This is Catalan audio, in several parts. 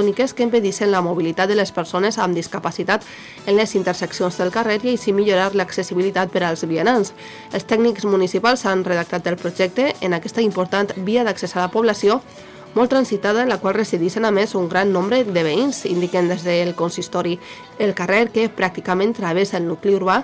tècniques que impedissin la mobilitat de les persones amb discapacitat en les interseccions del carrer i així millorar l'accessibilitat per als vianants. Els tècnics municipals han redactat el projecte en aquesta important via d'accés a la població molt transitada, en la qual resideixen a més un gran nombre de veïns, indiquen des del consistori. El carrer, que pràcticament travessa el nucli urbà,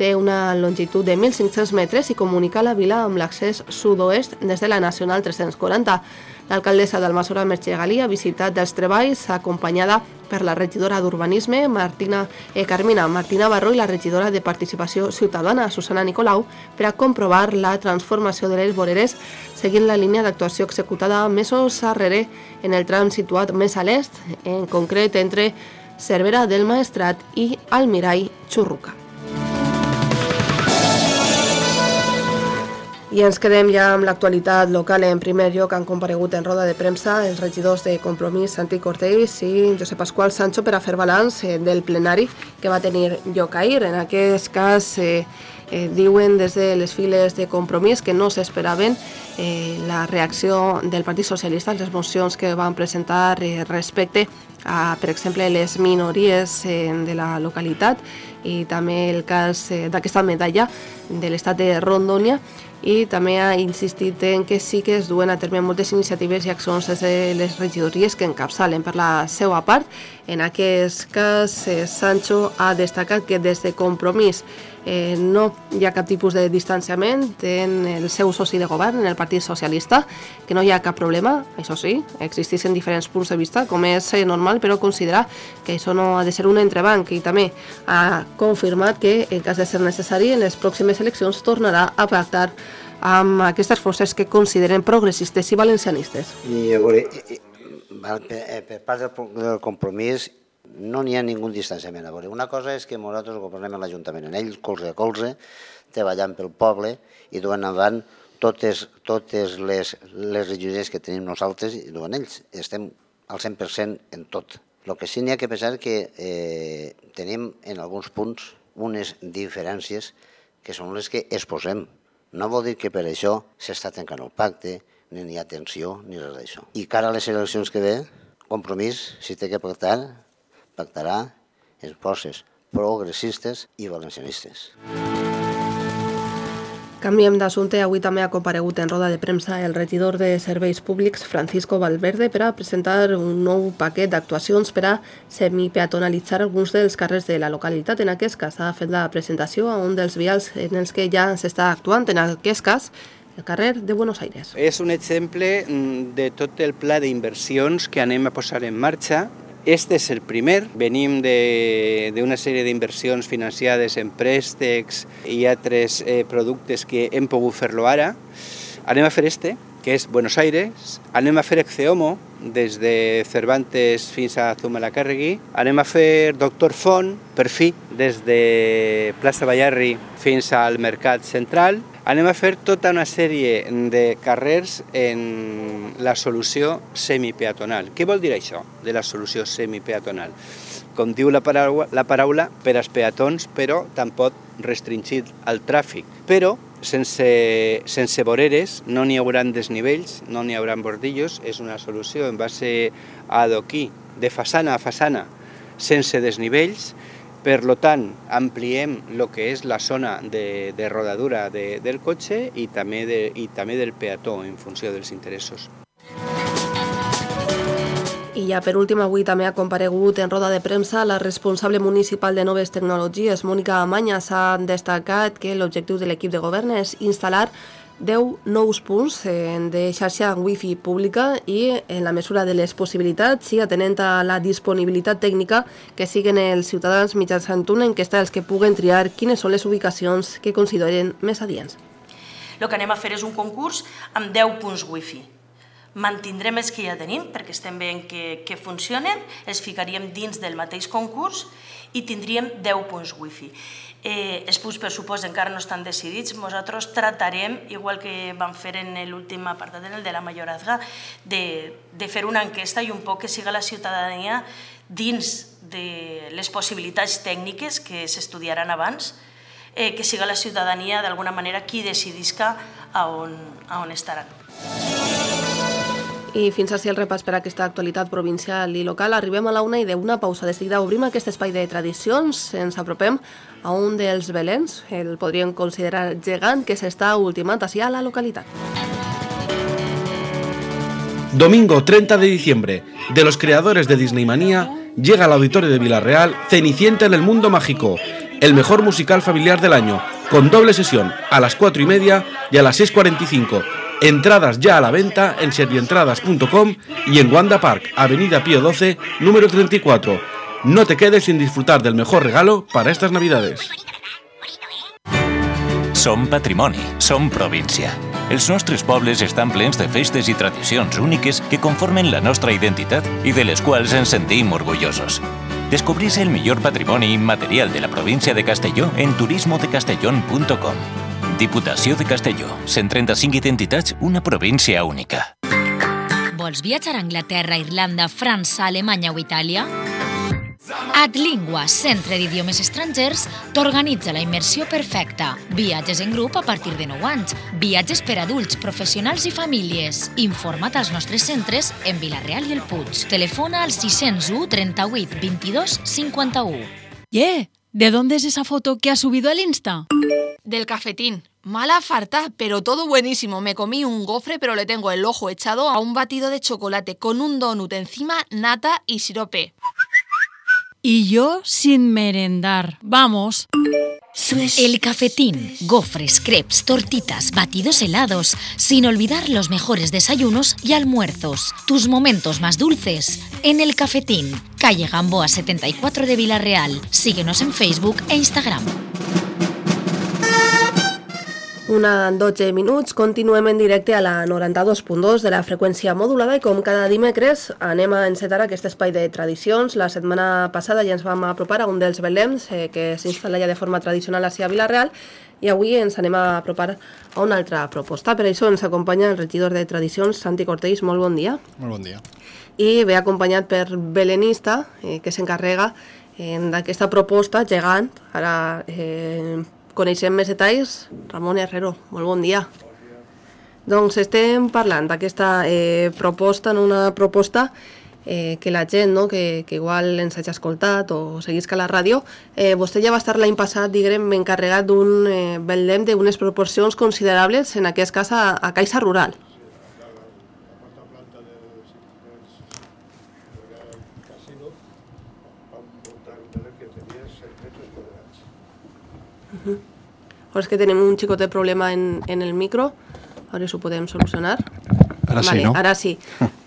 té una longitud de 1.500 metres i comunica la vila amb l'accés sud-oest des de la Nacional 340. L'alcaldessa d'Almassora, Mercè Galí, ha visitat els treballs acompanyada per la regidora d'Urbanisme, Carmina Martina Barro, i la regidora de Participació Ciutadana, Susana Nicolau, per a comprovar la transformació de les voreres seguint la línia d'actuació executada mesos arrere en el tram situat més a l'est, en concret entre Cervera del Maestrat i Almirall Churruca. I ens quedem ja amb l'actualitat local. En primer lloc han comparegut en roda de premsa els regidors de Compromís, Santi Cortells i Josep Pasqual Sancho, per a fer balanç del plenari que va tenir lloc ahir. En aquest cas diuen des de les files de Compromís que no s'esperaven la reacció del Partit Socialista a les mocions que van presentar respecte a, per exemple, les minories de la localitat, i també el cas d'aquesta medalla de l'estat de Rondônia, i també ha insistit en que sí que es duen a terme moltes iniciatives i accions des de les regidories que encapçalen. Per la seva part, en aquest cas, Sancho ha destacat que des de Compromís no hi ha cap tipus de distanciament en el seu soci de govern, en el Partit Socialista, que no hi ha cap problema, això sí, existeixen diferents punts de vista, com és normal, però considera que això no ha de ser un entrebanc, i també ha confirmat que, en cas de ser necessari, en les pròximes eleccions tornarà a pactar amb aquestes forces que consideren progressistes i valencianistes. I a veure, per part del Compromís no n'hi ha ningú distanciament. A veure, una cosa és que nosaltres governem a l'Ajuntament, en ell colze a colze, treballant pel poble i duent endavant totes les regidories que tenim nosaltres i duen ells. Estem al 100% en tot. El que sí n'hi ha que pensar que tenim en alguns punts unes diferències que són les que exposem. No vol dir que per això s'està tancant el pacte, ni hi ha tensió, ni res d'això. I cara a les eleccions que ve, Compromís, si té que pactar, pactarà en forces progressistes i valencianistes. Canviem d'assumpte. Avui també ha comparegut en roda de premsa el regidor de Serveis Públics, Francisco Valverde, per a presentar un nou paquet d'actuacions per a semipeatonalitzar alguns dels carrers de la localitat. En aquest cas ha fet la presentació a un dels vials en els que ja s'està actuant, en aquest cas el carrer de Buenos Aires. És un exemple de tot el pla d'inversions que anem a posar en marxa. Este és el primer. Venim d'una sèrie d'inversions financiades en préstecs i altres productes que hem pogut fer-lo ara. Anem a fer que és Buenos Aires. Anem a fer Exceomo, des de Cervantes fins a Zumalacárregui. Anem a fer Doctor Font, per fi, des de Plaça Ballarri fins al Mercat Central. Anem a fer tota una sèrie de carrers en la solució semipeatonal. Què vol dir això, de la solució semipeatonal? Com diu la paraula, per als peatons, però tampoc restringit al tràfic. Però sense voreres no n'hi haurà desnivells, no n'hi haurà bordillos. És una solució en base a adoquí, de façana a façana, sense desnivells. Per tant, ampliem el que és la zona de rodadura del cotxe i també del peató en funció dels interessos. I ja per últim, avui també ha comparegut en roda de premsa la responsable municipal de Noves Tecnologies, Mònica Amanya. S'ha destacat que l'objectiu de l'equip de govern és instal·lar 10 nous punts de xarxa wifi pública i, en la mesura de les possibilitats, i atenent a la disponibilitat tècnica, que siguen els ciutadans mitjançant una enquesta els que puguen triar quines són les ubicacions que consideren més adients. El que anem a fer és un concurs amb 10 punts wifi. Mantindrem els que ja tenim, perquè estem veient que funcionen, els ficaríem dins del mateix concurs i tindríem 10 punts wifi. Els punts, per supost, encara no estan decidits. Nosaltres tratarem, igual que vam fer en l'últim apartat, en el de la Mayorazga, de fer una enquesta i un poc que siga la ciutadania dins de les possibilitats tècniques que s'estudiaran abans, que siga la ciutadania d'alguna manera qui decidisca a on estaran. I fins així el repàs per aquesta actualitat provincial i local. Arribem a la 1 i d'una pausa. De seguida obrim aquest espai de tradicions. Ens apropem a un dels belens, el podríem considerar gegant, que s'està ultimant així a la localitat. Domingo 30 de diciembre, de los creadores de Disney Manía, llega al auditorio de Villarreal Cenicienta en el Mundo Mágico, el mejor musical familiar del año, con doble sesión a las 4:30 y a las 6:45. Entradas ya a la venta en serrientradas.com y en Wanda Park, Avenida Pío XII, número 34. No te quedes sin disfrutar del mejor regalo para estas Navidades. Som patrimoni, som província. Els nostres pobles estan plens de festes i tradicions úniques que conformen la nostra identitat i de les quals ens sentim orgullosos. Descobrís el millor patrimoni immaterial de la província de Castelló en turismodecastellón.com. Diputació de Castelló, 135 identitats, una província única. Vols viatjar a Anglaterra, Irlanda, França, Alemanya o Itàlia? Adlingua, centre d'idiomes estrangers, t'organitza la immersió perfecta. Viatges en grup a partir de 9 anys. Viatges per adults, professionals i famílies. Informa't als nostres centres en Vila-real i el Puig. Telefona al 601 38 22 51. ¿De dónde es esa foto que has subido al Insta? Del cafetín. Mala farta, pero todo buenísimo. Me comí un gofre, pero le tengo el ojo echado a un batido de chocolate con un donut encima, nata y sirope. Y yo sin merendar. Vamos. El cafetín, gofres, crepes, tortitas, batidos helados, sin olvidar los mejores desayunos y almuerzos. Tus momentos más dulces en el cafetín, calle Gamboa 74 de Vila-real. Síguenos en Facebook e Instagram. 1:12 minuts, continuem en directe a la 92.2 de la freqüència modulada i com cada dimecres anem a encetar aquest espai de tradicions. La setmana passada ja ens vam apropar a un dels belems que s'instal·la ja de forma tradicional a Vila-real i avui ens anem a apropar a una altra proposta. Per això ens acompanya el regidor de Tradicions, Santi Cortells. Molt bon dia. Molt bon dia. I ve acompanyat per belenista que s'encarrega d'aquesta proposta gegant. Ara coneixem més detalls. Ramon Herrero, molt bon dia. Doncs estem parlant d'aquesta proposta, una proposta que la gent, que igual ens hagi escoltat o seguisca la ràdio, vostè ja va estar l'any passat, diguem, encarregat d'un Belém d'unes proporcions considerables, en aquest cas a Caixa Rural. Ahora es que tenemos un chicote problema en el micro. Ahora eso podemos solucionar. Ahora vale, sí, ¿no? Ahora sí.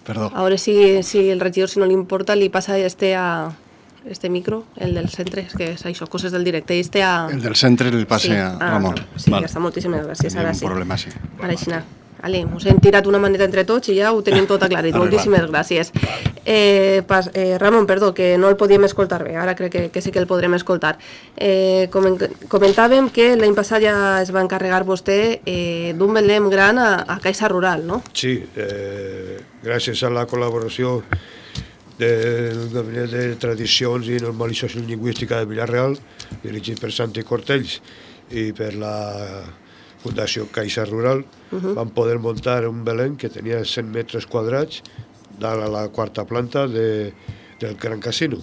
Perdón. Ahora sí, si el regidor, si no le importa, le pasa a este micro, el del centre, es que es això, coses del directe. El del centre el passe a Ramon. Sí, vale. Ja està, moltíssimes gràcies. Ara sí. Problema, sí. Ara així anar. Vale, us hem tirat una maneta entre tots i ja ho tenim tot aclarit. Moltíssimes gràcies. Ramon, perdó, que no el podíem escoltar bé, ara crec que sí que el podrem escoltar. Comentàvem que l'any passat ja es va encarregar vostè d'un Belém gran a Caixa Rural, no? Sí, gràcies a la col·laboració del Gabinet de Tradicions i Normalització Lingüística de Vila-real, dirigit per Santi Cortells i per la Fundació Caixa Rural, van poder muntar un Belém que tenia 100 metres quadrats dalt a la quarta planta del Gran Casino.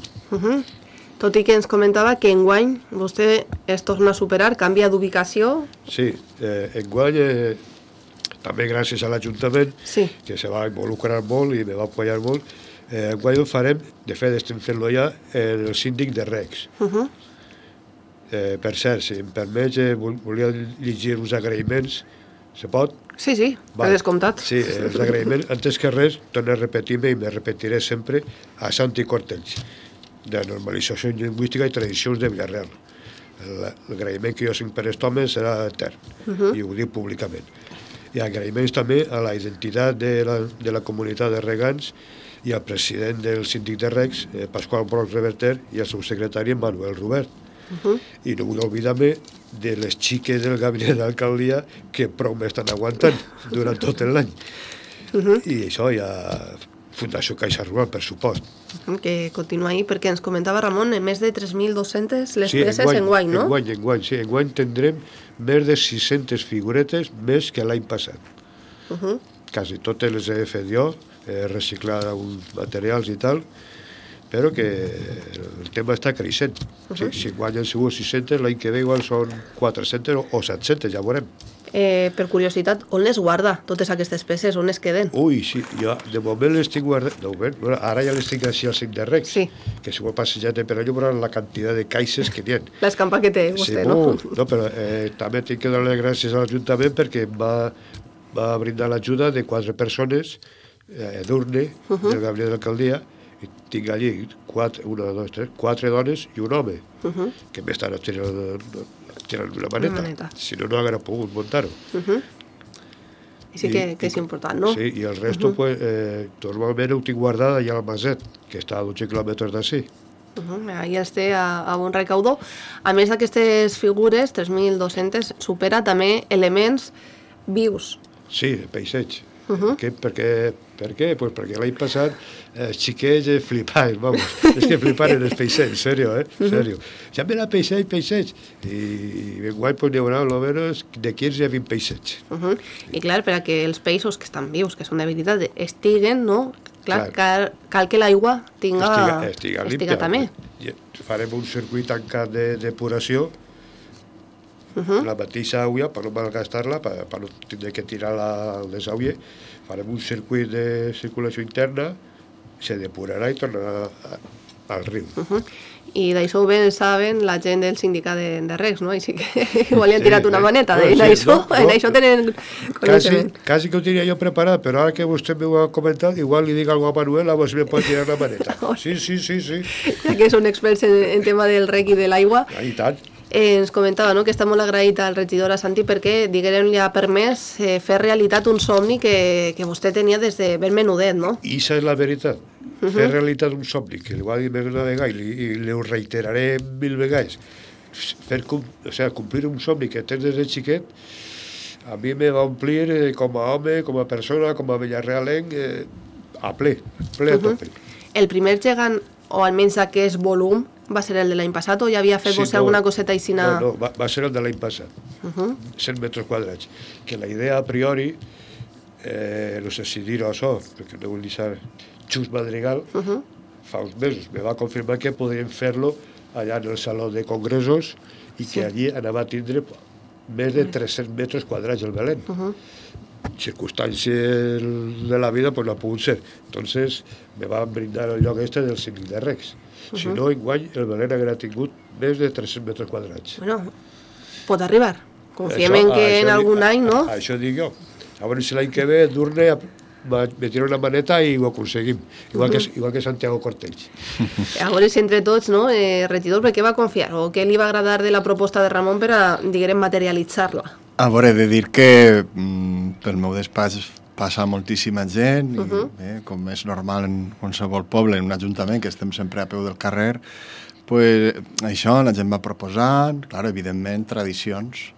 Tot i que ens comentava que enguany vostè es torna a superar, canvia d'ubicació. Sí, enguany, també gràcies a l'Ajuntament, que se va involucrar molt i me va apoyar molt, enguany ho farem, de fet estem fent-lo ja, en el síndic de Recs. Per cert, si em permets, volia llegir uns agraïments. Se pot? Sí, per descomptat. Sí, els agraïments, antes que res, torno a repetir-me i me repetiré sempre a Santi Cortells, de Normalització Lingüística i Tradicions de Vila-real. L'agraïment que jo tinc per aquest home serà etern, i ho dic públicament. I agraïments també a la identitat de la comunitat de regants i al president del síndic de Recs, Pasqual Brocs Reverter, i al seu secretari, Manuel Robert. I no vull oblidar-me de les xiques del gabinet d'alcaldia que prou m'estan aguantant durant tot l'any. I això hi ha Fundació Caixa Rural, per supost. Que continua ahí, perquè ens comentava Ramon, més de 3.200 les peces enguany, no? Enguany, sí. Enguany tindrem més de 600 figuretes més que l'any passat. Quasi totes les he fet jo, reciclar uns materials i tal, però que el tema està creixent. Si guany han sigut 600, l'any que ve igual són 400 o 700, ja veurem. Per curiositat, on les guarda, totes aquestes peces, on es queden? Ui, sí, jo de moment les tinc guardat, bueno, ara ja les tinc així al cinc de Recs, que si ho he passejat per allò veurà la quantitat de caixes que n'hi ha. L'escampa que té vostè, no? No, però també tinc que donar les gràcies a l'Ajuntament perquè em va brindar l'ajuda de 4 persones d'Urne, del Gabriel d'Alcaldia, i tinc allí 4 dones i un home, que m'estan tirant una maneta. Si no, no haguera pogut muntar-ho. Sí que és important, no? Sí, i el resto, normalment ho tinc guardat allà al Maset, que està a 12 quilòmetres d'ací. Ahí els té a bon recaudó. A més d'aquestes figures, 3.200, supera també elements vius. Sí, de peixeig. Per què? Pues perquè l'any passat els xiquets flipaven, vamos. És que fliparen els peixets, serio, serio. Ja mira peixets. I enguany pues, n'hi haurà almenys de 15 a 20 peixets. I clar, per a que els peixos que estan vius, que són de veritat, estiguen, no? Clar, cal que l'aigua estiga també. Farem un circuit tancat de depuració, la mateixa aigua, per no malgastar-la, per no tindre que tirar al desagüe, farem un circuit de circulació interna, se depurarà i tornarà al riu. I d'això bé saben la gent del sindicat de Recs, no? Així que igual li han tirat una maneta, en això tenen coneixement. Quasi que ho tenia jo preparat, però ara que vostè m'ho ha comentat, igual li dic alguna cosa a Manuel, a veure si me pot tirar la maneta. Sí. Ja que són experts en tema del rec i de l'aigua. I tant. Ens comentava que està molt agraït al regidor, a Santi, perquè, diguem, li ha permès fer realitat un somni que vostè tenia des de ben menudet, no? I això és la veritat, fer realitat un somni, que li ho ha dit més una vegada i li ho reiteraré 1000 vegades. Complir un somni que tens des de xiquet, a mi me va omplir com a home, com a persona, com a villarrealenc, a ple a tope. El primer gegant, o almenys aquest volum, va ser el de l'any passat o ja havia fet vostè alguna coseta així? No, va ser el de l'any passat, 100 metres quadrats. Que la idea a priori, no sé si dir-ho això, perquè no vull deixar Xus Madrigal, fa uns mesos me va confirmar que podríem fer-lo allà en el saló de congressos i que allí anava a tindre més de 300 metres quadrats el Belén. Circumstàncies de la vida pues no ha pogut ser. Entonces me van brindar el lloc este del Cívic de Recs. Si no, enguany el Belén haguera tingut més de 300 metres quadrats. Bueno, pot arribar. Confiem en que en algun any, no? Això dic jo. A veure si l'any que ve Durne me tira una maneta i ho aconseguim. Igual que Santiago Cortells. A veure si entre tots, no, regidor, per què va confiar? O què li va agradar de la proposta de Ramon per a, diguem, materialitzar-la? A veure, he de dir que pel meu despatx passa moltíssima gent, i, com és normal en qualsevol poble, en un ajuntament, que estem sempre a peu del carrer, pues, això la gent va proposant, clar, evidentment, tradicions,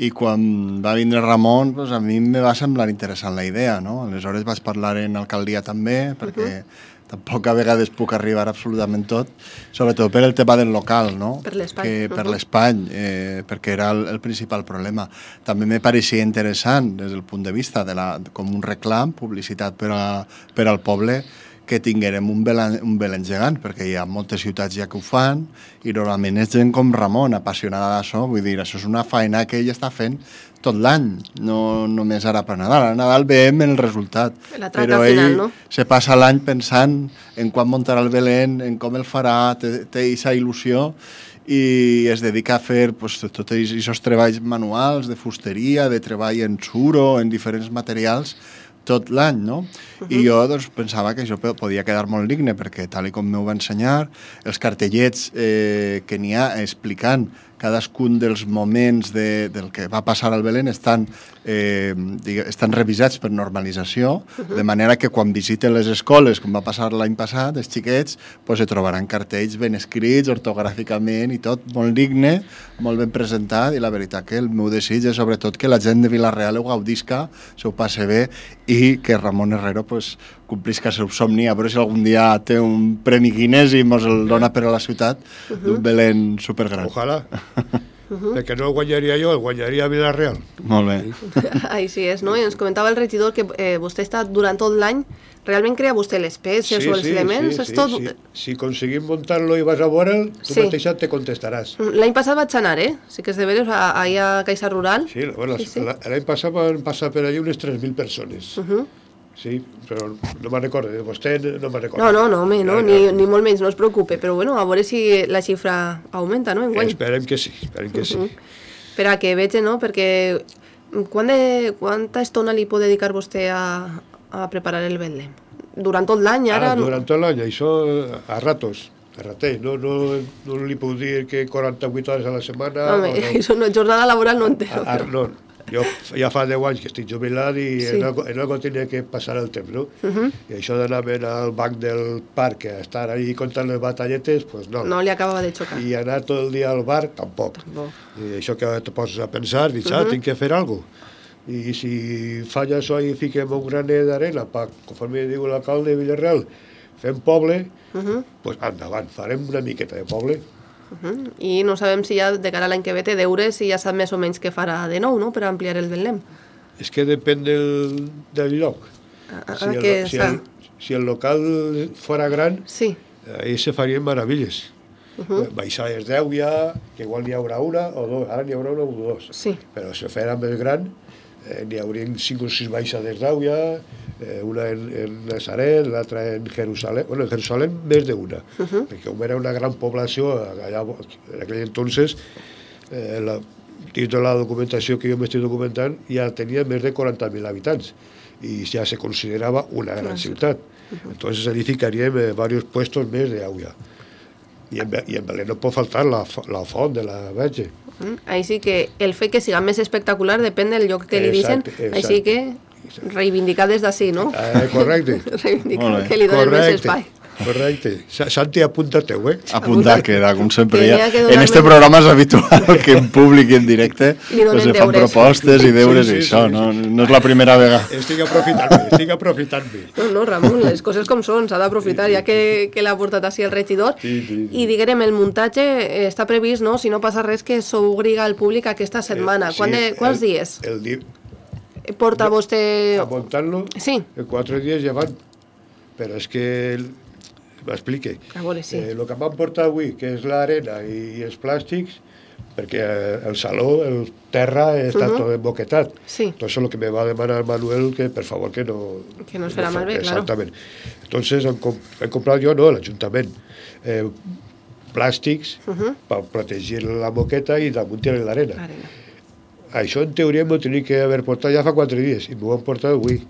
i quan va vindre Ramon, pues, a mi em va semblar interessant la idea, no? Aleshores vaig parlar en alcaldia també, perquè tampoc a vegades puc arribar absolutament tot, sobretot per el tema del local, no? Per l'espai. Per l'espai, perquè era el principal problema. També me pareixia interessant, des del punt de vista com un reclam, publicitat per al poble, que tinguérem un Belén gegant, perquè hi ha moltes ciutats ja que ho fan, i normalment és gent com Ramon, apassionada d'això, vull dir, això és una feina que ell està fent tot l'any, no només ara per Nadal. A Nadal veiem el resultat, però ell se passa l'any pensant en quan muntarà el Belén, en com el farà, té aquesta il·lusió, i es dedica a fer tots aquests treballs manuals de fusteria, de treball en suro, en diferents materials, tot l'any, no? I jo pensava que això podia quedar molt digne, perquè tal com m'ho va ensenyar, els cartellets que n'hi ha explicant cadascun dels moments del que va passar al Belén estan revisats per normalització, de manera que quan visiten les escoles, com va passar l'any passat, els xiquets se trobaran cartells ben escrits, ortogràficament i tot, molt digne, molt ben presentat, i la veritat que el meu desig és sobretot que la gent de Vila-real ho gaudisca, s'ho passi bé, i que Ramon Herrero complisca el seu somni, a veure si algun dia té un premi Guinness i mos el dona per a la ciutat d'un Belén supergran. Ojalà. perquè no el guanyaria jo, el guanyaria Vilareal. Molt bé. Així és, no? I ens comentava el regidor que vostè està durant tot l'any, realment crea vostè les peces o els elements? Si aconseguim muntar-lo i vas a veure'l, tu mateixa te contestaràs. L'any passat vaig anar, sí que és de veres, allà a Caixa Rural. Sí, l'any passat van passar per allà unes 3.000 persones. Sí, però no me'n recordo, vostè no me'n recordo. No, ni molt menys, no es preocupe, però bueno, a veure si la xifra augmenta, no, enguany? Esperem que sí. Per a que veig, no?, perquè quanta estona li pot dedicar vostè a preparar el Betlem? Durant tot l'any, ara? Durant tot l'any, això a ratos. No li puc dir que 48 hores a la setmana... Home, això no, jornada laboral no en té. No, jo ja fa 10 anys que estic jubilat i en algo tenia que passar el temps, no? I això d'anar al banc del parc a estar ahí contant les batalletes, pues no. No li acabava de xocar. I anar tot el dia al bar, tampoc. I això que te poses a pensar, dius, tinc que fer alguna cosa. I si falla això i fiquem un graner d'arena, conforme diu l'alcalde de Vilareal, fem poble, pues endavant, farem una miqueta de poble. I no sabem si ja de cara a l'any que ve té deures i ja sap més o menys què farà de nou, no?, per ampliar el Betlem. És que depèn del lloc. Si el local fora gran, ahí se farien meravilles. Baixades d'Èuia, que igual n'hi haurà una o dos, ara n'hi haurà una o dos. Però si fera més gran, n'hi haurien 5 o 6 baixades d'Èuia, una en Nazaret, l'altra en Jerusalem. Bueno, en Jerusalem més d'una, perquè com era una gran població, allà, en aquell entonces, dins de la documentació que jo m'estic documentant, ja tenia més de 40.000 habitants i ja se considerava una gran ciutat. Entonces edificaríem varios puestos més d'Èuia. I en Belén no pot faltar la font de la Verge. Així que el fet que siga més espectacular depèn del lloc que li dicen, així que reivindicar des d'ací, no? Correcte. Reivindicar que li donen més espai. Correcte. Santi, apunta-teu, Apuntar queda, com sempre. En este programa és habitual que en públic i en directe se fan propostes i deures i això, no és la primera vegada. Estic aprofitant-me. No, Ramon, les coses com són, s'ha d'aprofitar, ja que l'ha portat així el regidor. I diguem, el muntatge està previst, no?, si no passa res, que s'obriga al públic aquesta setmana. Quants dies? Porta vostè... A muntar-lo? Sí. 4 dies ja van. Però és que... M'explique. A veure, sí. El que m'han portat avui, que és l'arena i els plàstics, perquè el saló, el terra, està tot emboquetat. Entonces el que me va demanar Manuel que, per favor, que no... Que no es farà malbé, claro. Exactament. Entonces he comprat jo, no, l'Ajuntament, plàstics per protegir la moqueta i damunt tirar l'arena. Això, en teoria, m'ho tenia que haver portat ja fa 4 dies i m'ho han portat avui.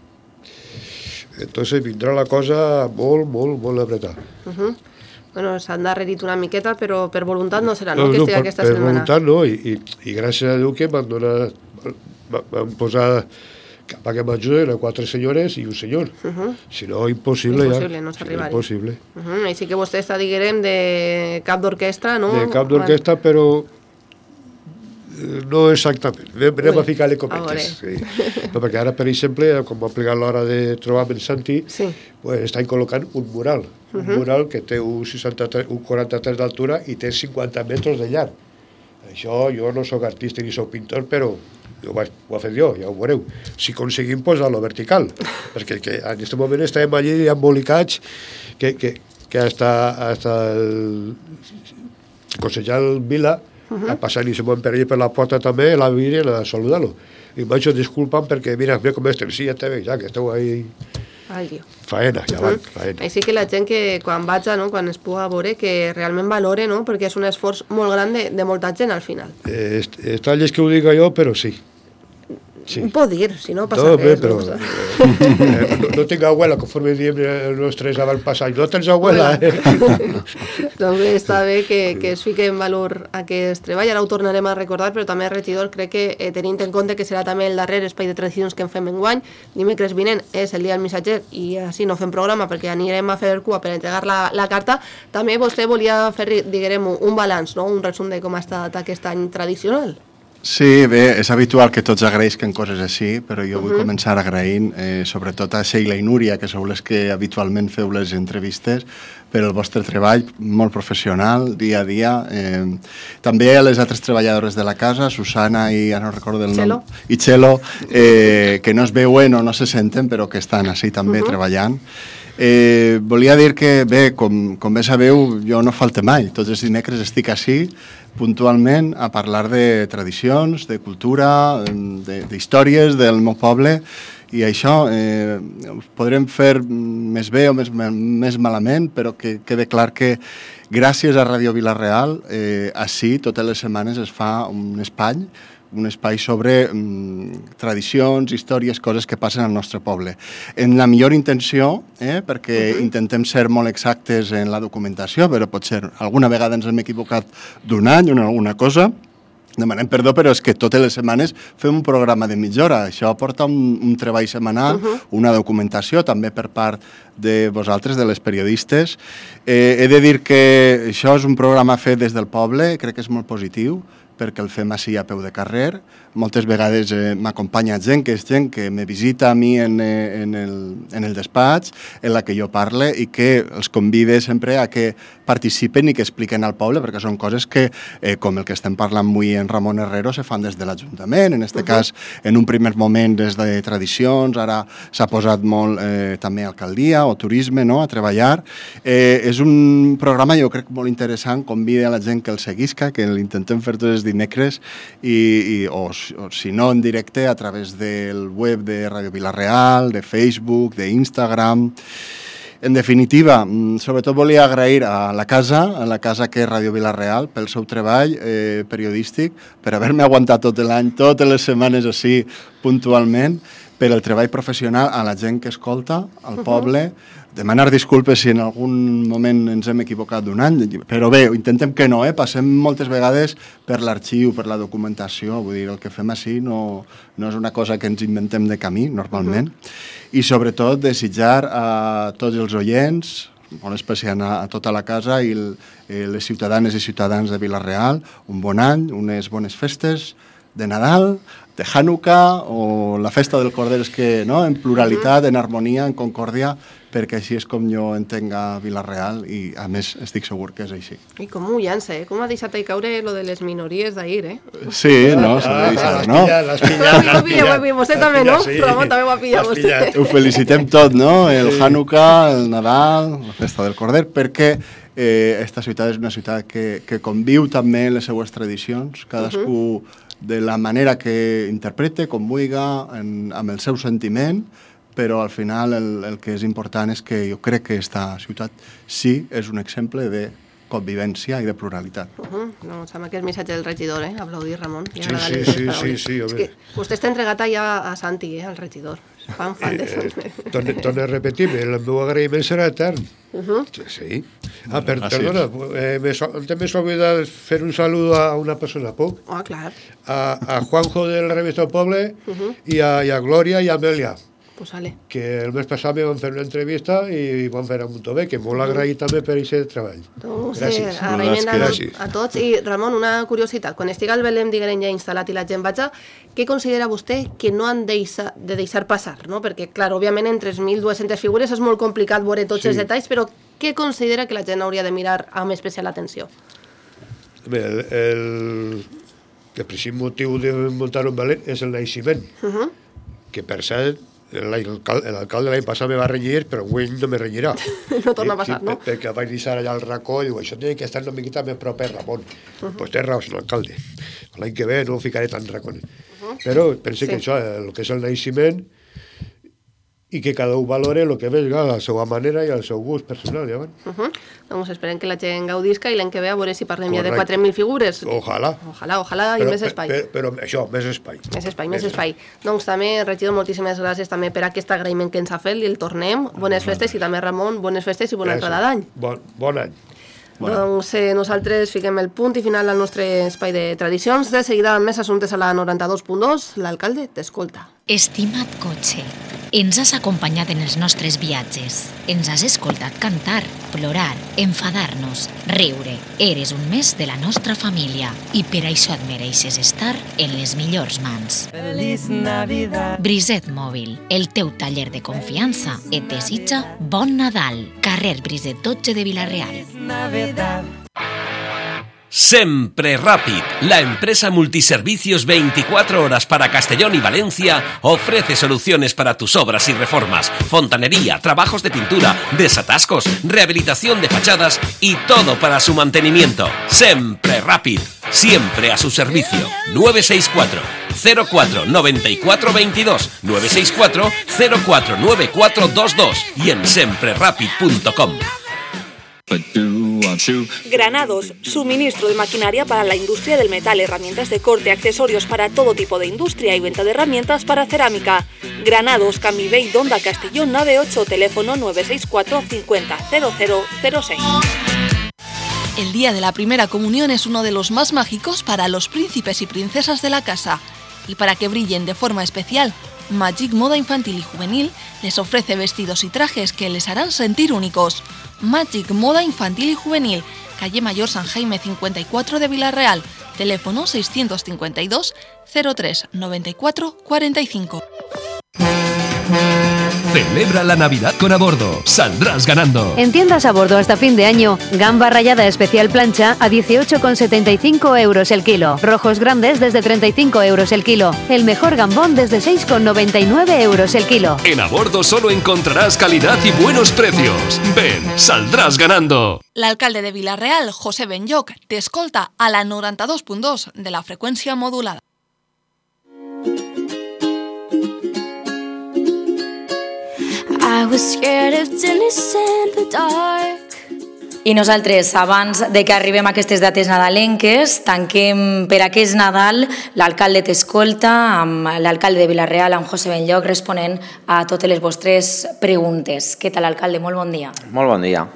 Entonces vindrà la cosa molt apretada. Bueno, s'han darrerit una miqueta, però per voluntat no serà, no, que estigui aquesta setmana. Per voluntat no, i gràcies a Déu que m'han posat perquè m'ajuden 4 senyores i un senyor. Si no, impossible ja. Impossible, no s'arribarà. Impossible. Així que vostè està, diguem, de cap d'orquestra, no? De cap d'orquestra, però no exactament. Anem a ficar-li cometes. No, perquè ara, per exemple, com ha plegat l'hora de trobar-me en Santi, estan col·locant un mural. Un mural que té un 43 d'altura i té 50 metres de llarg. Això, jo no soc artista ni soc pintor, però ho he fet jo, ja ho veureu. Si aconseguim posar-lo vertical, perquè en aquest moment estem allí embolicats que hasta el consellal Vila passant i se m'ho emperella per la porta també, la Virgen a saludar-lo. I vaig disculpant perquè, mira com estem, sí, ja te veig, ja que esteu ahí... Faena, ja van, faena. Així que la gent que quan vaig, quan es puga veure, que realment valore, no?, perquè és un esforç molt gran de molta gent al final. Està llest que ho diga jo, però sí. Ho pot dir, si no passa res. Però no tinc abuela, conforme diem els nostres avantpassats. No tens abuela, Doncs bé, està bé que es fiqui en valor aquest treball. Ara ho tornarem a recordar, però també, regidor, crec que tenint en compte que serà també el darrer espai de tradicions que en fem enguany, dimecres vinent és el dia del missatger i així no fem programa perquè anirem a fer cua per entregar la carta. També vostè volia fer, diguem, un balanç, no?, un resum de com ha estat aquest any tradicional. Sí, bé, és habitual que tots agraïsquen coses així, però jo vull començar agraint sobretot a Sheila i Núria, que sou les que habitualment feu les entrevistes, per el vostre treball molt professional, dia a dia. També a les altres treballadores de la casa, Susana i, ara no recordo el nom, i Txelo, que no es veuen o no se senten, però que estan així també treballant. Volia dir que, bé, com bé sabeu, jo no falte mai. Tots els dimecres estic així, puntualment, a parlar de tradicions, de cultura, d'històries del meu poble, i això podrem fer més bé o més malament, però que quede clar que gràcies a Ràdio Vila-real, així totes les setmanes es fa un espai sobre tradicions, històries, coses que passen al nostre poble. En la millor intenció, perquè intentem ser molt exactes en la documentació, però potser alguna vegada ens hem equivocat d'un any o en alguna cosa, demanem perdó, però és que totes les setmanes fem un programa de mitja hora. Això porta un treball setmanal, una documentació també per part de vosaltres, de les periodistes. He de dir que això és un programa fet des del poble, crec que és molt positiu, perquè el fem així a peu de carrer. Moltes vegades m'acompanya gent que me visita a mi en el despatx, en la que jo parle, i que els convide sempre a que participen i que expliquen al poble, perquè són coses que, com el que estem parlant avui en Ramon Herrero, se fan des de l'Ajuntament, en aquest cas, en un primer moment des de tradicions, ara s'ha posat molt també alcaldia o turisme a treballar. És un programa, jo crec, molt interessant, convida a la gent que el seguisca, que l'intentem fer tots els dimecres, o si no en directe a través del web de Ràdio Vila-real, de Facebook, d'Instagram. En definitiva, sobretot volia agrair a la casa que és Ràdio Vila-real, pel seu treball periodístic, per haver-me aguantat tot l'any, totes les setmanes així puntualment, per el treball professional, a la gent que escolta, al poble, demanar disculpes si en algun moment ens hem equivocat d'un any, però bé, intentem que no, passem moltes vegades per l'arxiu, per la documentació, vull dir, el que fem així no és una cosa que ens inventem de camí, normalment, i sobretot desitjar a tots els oients, molt especial a tota la casa i les ciutadanes i ciutadans de Vila-real, un bon any, unes bones festes de Nadal, de Hanukkà o la festa del Corder, que en pluralitat, en harmonia, en concòrdia, perquè així és com jo entenc a Vila-real i, a més, estic segur que és així. I com ho llança, com ha deixat ahí caure lo de les minories d'ahir, Sí, no, s'ha de deixar, no? L'has pillat. Vostè també, no? Ramon també ho ha pillat, vostè. Ho felicitem tot, no? El Hanukkà, el Nadal, la festa del Corder, perquè aquesta ciutat és una ciutat que conviu també les seues tradicions, cadascú de la manera que interprete, com vulgui, amb el seu sentiment, però al final el que és important és que jo crec que aquesta ciutat sí és un exemple de convivència i de pluralitat. No, sembla que és missatge del regidor, aplaudir, Ramon. Sí, és que vostè està entregat ja a Santi, al regidor. Fan de Santi. Torno a repetir, el meu agraïment serà etern. Sí. Perdona, també s'ha oblidat fer un saludo a una persona poc. Clar. A Juanjo de la revista El Poble i a Glòria i a Amèlia. Pues vale. Que el mes passat me van fer una entrevista i van fer a Montové, que molt agraït també per aquest treball. Gràcies. Agraïment a tots. I Ramon, una curiositat, quan estigui el Belém diguem ja instal·lat i la gent vaja, què considera vostè que no han de deixar passar? No? Perquè, clar, òbviament en 3.200 figures és molt complicat veure tots els detalls, però què considera que la gent hauria de mirar amb especial atenció? Bé, el principal motiu de muntar un Belém és el naixement, que per cert l'alcalde l'any passat me va renyir, però avui no me renyirà. No torna a passar, no? Perquè vaig deixar allà al racó i diu, això té que estar una miqueta més proper, Ramon. Doncs té raó, senyor alcalde. L'any que ve no ho ficaré tan racones. Però penso que això, el que és el naixement, i que cada un valore el que vega a la seva manera i al seu gust personal. Doncs esperem que la gent gaudisca i l'any que ve a veure si parlem ja de 4.000 figures. Ojalà. Ojalà i més espai. Però això, més espai. Més espai. Doncs també, regidor, moltíssimes gràcies també per aquest agraïment que ens ha fet i el tornem. Bones festes i també, Ramon, bones festes i bona entrada d'any. Bon any. Doncs nosaltres fiquem el punt i final al nostre espai de tradicions. De seguida, més assumptes a la 92.2, l'alcalde t'escolta. Estima't cotxe. Ens has acompanyat en els nostres viatges. Ens has escoltat cantar, plorar, enfadar-nos, riure. Eres un més de la nostra família i per això et mereixes estar en les millors mans. Feliç Navidad. Briset Mòbil, el teu taller de confiança, et desitja bon Nadal. Carrer Briset 12 de Vila-real. Sempre Rápid, la empresa multiservicios 24 horas para Castellón y Valencia, ofrece soluciones para tus obras y reformas, fontanería, trabajos de pintura, desatascos, rehabilitación de fachadas y todo para su mantenimiento. Sempre Rápid, siempre a su servicio. 964 04 94 22 964 04 9422 y en semprerapid.com. Granados, suministro de maquinaria para la industria del metal, herramientas de corte, accesorios para todo tipo de industria y venta de herramientas para cerámica. Granados, Camivell d'Onda Castellón 98, teléfono 964 50 0006. El día de la primera comunión es uno de los más mágicos para los príncipes y princesas de la casa. Y para que brillen de forma especial, Magic Moda Infantil y Juvenil les ofrece vestidos y trajes que les harán sentir únicos. Magic Moda Infantil y Juvenil, calle Mayor San Jaime 54 de Vila-real, teléfono 652 03 94 45. Celebra la Navidad con A Bordo. Saldrás ganando. En tiendas A Bordo hasta fin de año, gamba rallada especial plancha a 18,75 euros el kilo. Rojos grandes desde 35 euros el kilo. El mejor gambón desde 6,99 euros el kilo. En A Bordo solo encontrarás calidad y buenos precios. Ven, saldrás ganando. L'alcalde de Vila-real, José Benlloc, te escolta a la 92.2 de la freqüència modulada. I was scared of tennis in the dark. I nosaltres, abans de que arribem a aquestes dates nadalenques, tanquem per aquest Nadal l'alcalde t'escolta amb l'alcalde de Vila-real, amb José Benlloc, responent a totes les vostres preguntes. Què tal, alcalde? Molt bon dia. Molt bon dia.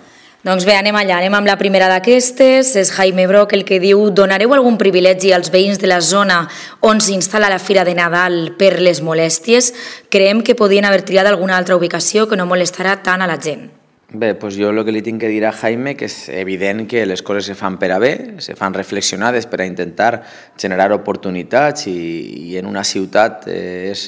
Doncs bé, anem allà, anem amb la primera d'aquestes. És Jaime Broc el que diu: donareu algun privilegi als veïns de la zona on s'instal·la la Fira de Nadal per les molèsties? Creiem que podien haver triat alguna altra ubicació que no molestarà tant a la gent. Bé, doncs jo el que li tinc que dir a Jaime que és evident que les coses se fan per a bé, se fan reflexionades per a intentar generar oportunitats i en una ciutat és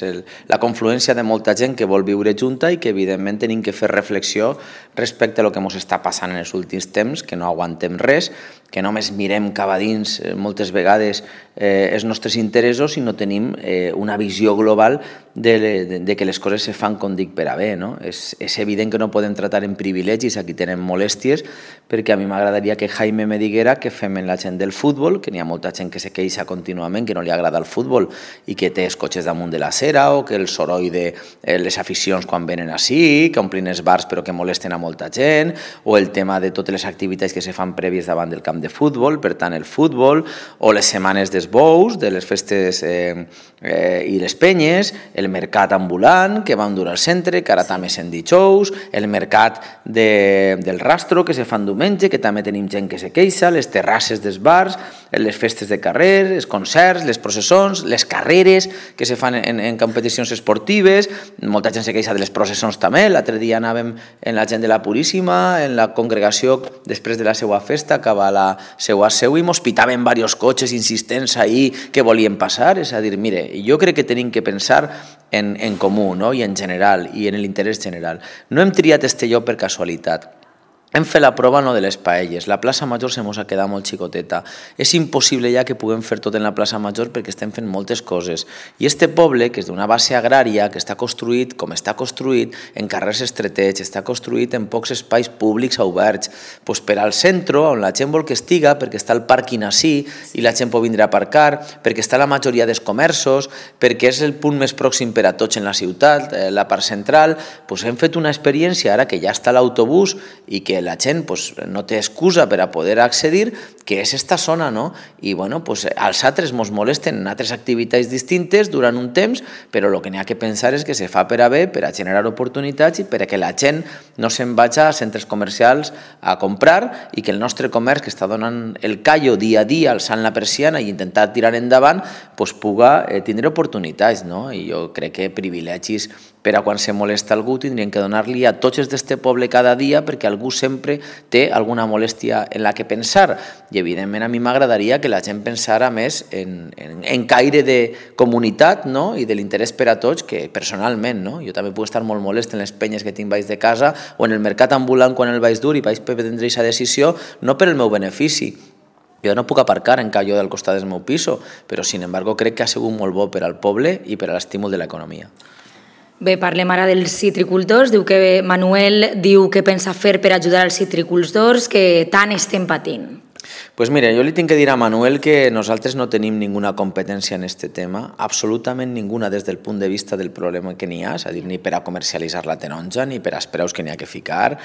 la confluència de molta gent que vol viure junta i que evidentment tenim que fer reflexió respecte a lo que ens està passant en els últims temps, que no aguantem res, que només mirem cap a dins moltes vegades els nostres interessos i no tenim una visió global de que les coses se fan, com dic, per a bé. És evident que no podem tratar en privilegis a qui tenen molèsties, perquè a mi m'agradaria que Jaime me diguera què fem en la gent del futbol, que n'hi ha molta gent que se queixa contínuament, que no li agrada el futbol i que té els cotxes damunt de l'acera, o que el soroll de les aficions quan venen així, que omplin els bars però que molesten a molta gent, o el tema de totes les activitats que se fan prèvies davant del camp de futbol, per tant el futbol, o les setmanes dels bous, de les festes i les penyes, el mercat ambulant que vam dur al centre, que ara també se'n dijous, el mercat del rastro que se fan diumenge, que també tenim gent que se queixa, les terrasses dels bars, les festes de carrer, els concerts, les processons, les carreres que se fan en competicions esportives, molta gent se queixa de les processons també. L'altre dia anàvem en la gent de la Puríssima, en la congregació després de la seva festa, cap a la seva seu, i mos pitaven diversos cotxes insistents ahí que volien passar. És a dir, mire, jo crec que tenim que pensar en comú, no? I en general, i en l'interès general. No hem triat este lloc per casualitat. Hem fet la prova no de les paelles. La plaça Major se mos ha quedat molt xicoteta. És impossible ja que puguem fer tot en la plaça Major perquè estem fent moltes coses. I este poble, que és d'una base agrària, que està construït com està construït, en carrers estretets, està construït en pocs espais públics oberts, doncs per al centre, on la gent vol que estiga, perquè està el pàrquing així i la gent pot vindre a aparcar, perquè està la majoria dels comerços, perquè és el punt més pròxim per a tots en la ciutat, la part central, doncs hem fet una experiència ara que ja està l'autobús i que la gent no té excusa per a poder accedir, que és esta zona, no? I als altres ens molesten en altres activitats distintes durant un temps, però el que n'hi ha que pensar és que se fa per a bé, per a generar oportunitats i per a que la gent no se'n vagi a centres comercials a comprar i que el nostre comerç, que està donant el callo dia a dia, alçant la persiana i intentar tirar endavant, puga tindre oportunitats, no? I jo crec que privilegis per a quan se molesta algú tindrien que donar-li a tots els d'este poble cada dia perquè algú sempre té alguna molèstia en la que pensar. I evidentment a mi m'agradaria que la gent pensara més en caire de comunitat, no? I de l'interès per a tots, que personalment, no? Jo també puc estar molt molest en les penyes que tinc baix de casa o en el mercat ambulant quan el vaig dur i vaig prendre aquesta decisió, no per el meu benefici. Jo no puc aparcar en calló del costat del meu piso, però sin embargo crec que ha sigut molt bo per al poble i per a l'estímul de l'economia. Bé, parlem ara dels citricultors. Manuel diu que pensa fer per ajudar als citricultors que tant estem patint. Pues mira, jo li tinc que dir a Manuel que nosaltres no tenim ninguna competència en aquest tema, absolutament ninguna des del punt de vista del problema que n'hi ha, és a dir, ni per a comercialitzar la taronja, ni per als preus que n'hi ha que ficar,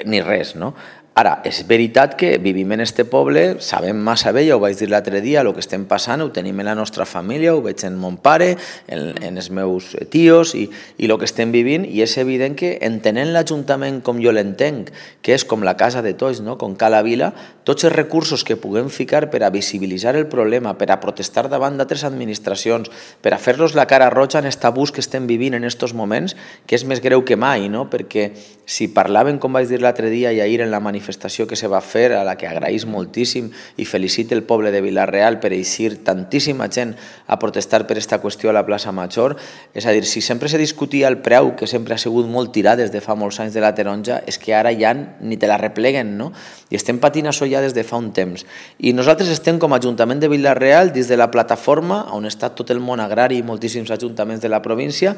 ni res, no? Ara, és veritat que vivim en este poble, sabem massa bé, ja ho vaig dir l'altre dia, el que estem passant, ho tenim en la nostra família, ho veig en mon pare, en els meus tios i el que estem vivint, i és evident que entenent l'Ajuntament com jo l'entenc, que és com la casa de tots, no? Com Cala Vila, tots els recursos que puguem ficar per a visibilitzar el problema, per a protestar davant d'altres administracions, per a fer-los la cara roja en aquest abús que estem vivint en aquests moments, que és més greu que mai, no? Perquè si parlaven, com vaig dir l'altre dia i ahir en la manifestació que se va fer, a la que agraïs moltíssim i felicite el poble de Vila-real per eixir tantíssima gent a protestar per aquesta qüestió a la plaça Major, és a dir, si sempre se discutia el preu, que sempre ha sigut molt tirat des de fa molts anys de la taronja, és que ara ja ni te la repleguen, no? I estem patint això ja des de fa un temps. I nosaltres estem com a Ajuntament de Vila-real dins de la plataforma on està tot el món agrari i moltíssims ajuntaments de la província,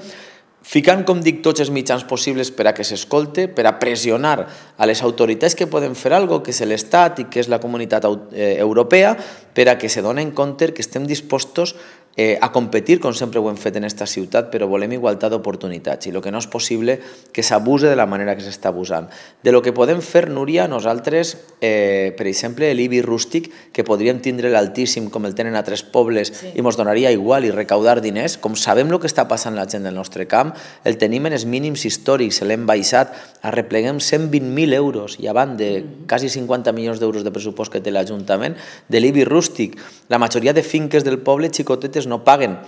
ficant, com dic, tots els mitjans possibles per a que s'escolte, per a pressionar a les autoritats que poden fer alguna cosa, que és l'Estat i que és la comunitat europea, per a que se donen compte que estem dispostos a competir, com sempre ho hem fet en aquesta ciutat, però volem igualtat d'oportunitats i el que no és possible que s'abuse de la manera que s'està abusant. De lo que podem fer, Núria, nosaltres, per exemple, l'IBI rústic, que podríem tindre l'altíssim com el tenen altres pobles i ens donaria igual i recaudar diners, com sabem el que està passant la gent del nostre camp, el tenim en els mínims històrics, l'hem baixat, arrepleguem 120.000 euros i avant de quasi 50 milions d'euros de pressupost que té l'Ajuntament de l'IBI rústic. La majoria de finques del poble xicotetes no paguen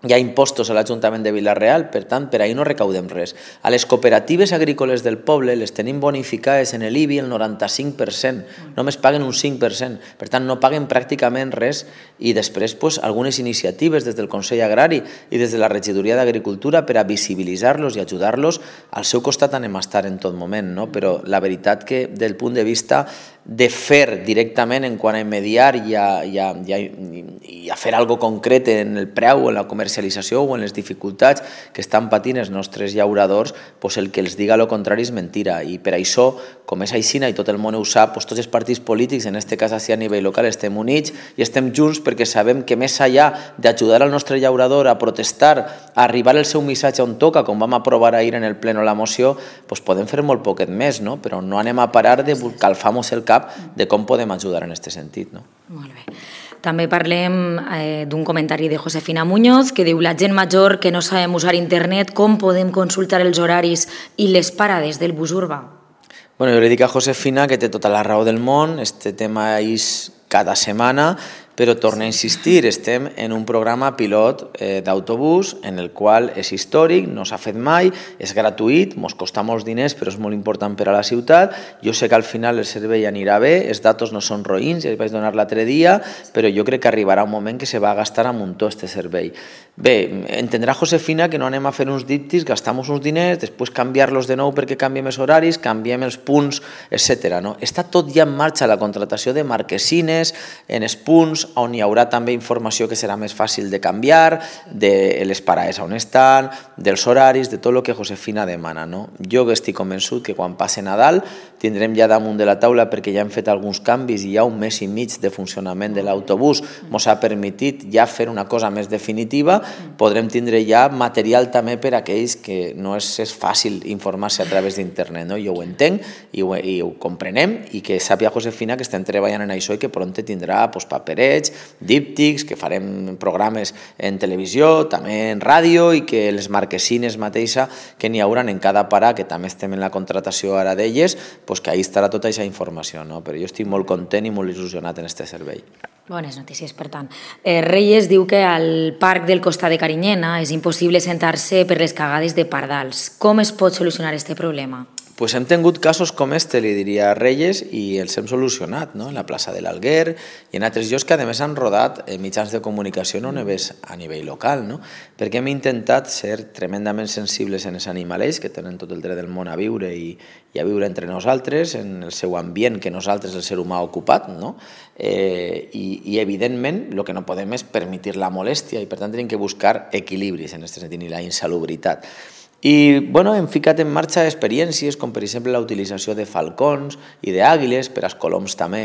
hi ha impostos a l'Ajuntament de Vila-real, per tant, per ahir no recaudem res. A les cooperatives agrícoles del poble les tenim bonificades en l'IBI el 95%, només paguen un 5%, per tant, no paguen pràcticament res i després algunes iniciatives des del Consell Agrari i des de la Regidoria d'Agricultura per a visibilitzar-los i ajudar-los. Al seu costat anem a estar en tot moment, no? Però la veritat que del punt de vista de fer directament en quant a mediar i a fer alguna cosa concret en el preu, en la comercialització o en les dificultats que estan patint els nostres llauradors, el que els diga el contrari és mentira. I per això, com és aixina i tot el món ho sap, tots els partits polítics, en aquest cas a nivell local, estem units i estem junts perquè sabem que més enllà d'ajudar al nostre llaurador a protestar, a arribar el seu missatge on toca, com vam aprovar ahir en el pleno la moció, podem fer molt poquet més, no? Però no anem a parar de calfar-nos el cap de com podem ajudar en aquest sentit. No? Molt bé. També parlem d'un comentari de Josefina Muñoz que diu: la gent major que no sabem usar internet, com podem consultar els horaris i les parades del bus urbà? Bueno, jo li dic a Josefina que té tota la raó del món, este tema és cada setmana, però torno a insistir, estem en un programa pilot d'autobús en el qual és històric, no s'ha fet mai, és gratuït, ens costa molts diners però és molt important per a la ciutat. Jo sé que al final el servei anirà bé, els datos no són roïns, ja els vaig donar l'altre dia, però jo crec que arribarà un moment que se va gastar a muntó este servei. Bé, entendrà Josefina que no anem a fer uns díptics, gastem uns diners, després canviar-los de nou perquè canviem els horaris, canviem els punts, etc. Està tot ja en marxa, la contratació de marquesines en els punts, on hi haurà també informació que serà més fàcil de canviar, de les parades on estan, dels horaris, de tot el que Josefina demana. Jo estic convençut que quan passe Nadal tindrem ja damunt de la taula, perquè ja hem fet alguns canvis i hi ha un mes i mig de funcionament de l'autobús, ens ha permitit ja fer una cosa més definitiva, podrem tindre ja material també per a aquells que no és fàcil informar-se a través d'internet. Jo ho entenc i ho comprenem, i que sàpiga Josefina que estem treballant en això i que pront tindrà paperets, díptics, que farem programes en televisió, també en ràdio, i que les marquesines mateixa que n'hi hauran en cada parà, que també estem en la contratació ara d'elles, que ahí estarà tota aquesta informació. Però jo estic molt content i molt il·lusionat en aquest servei. Bones notícies, per tant. Reyes diu que al parc del costat de Carinyena és impossible sentar-se per les cagades de pardals. Com es pot solucionar aquest problema? Pues hem tingut casos com este, li diria a Reyes, i els hem solucionat, en la plaça de l'Alguer i en altres llocs que a més han rodat mitjans de comunicació no només a nivell local, perquè hem intentat ser tremendament sensibles en els animalets que tenen tot el dret del món a viure i a viure entre nosaltres, en el seu ambient que nosaltres, el ser humà, ha ocupat, i evidentment el que no podem és permetre la molèstia, i per tant hem de buscar equilibris en aquest sentit i la insalubritat. I hem ficat en marxa experiències com per exemple la utilització de falcons i d'àguiles per als coloms també,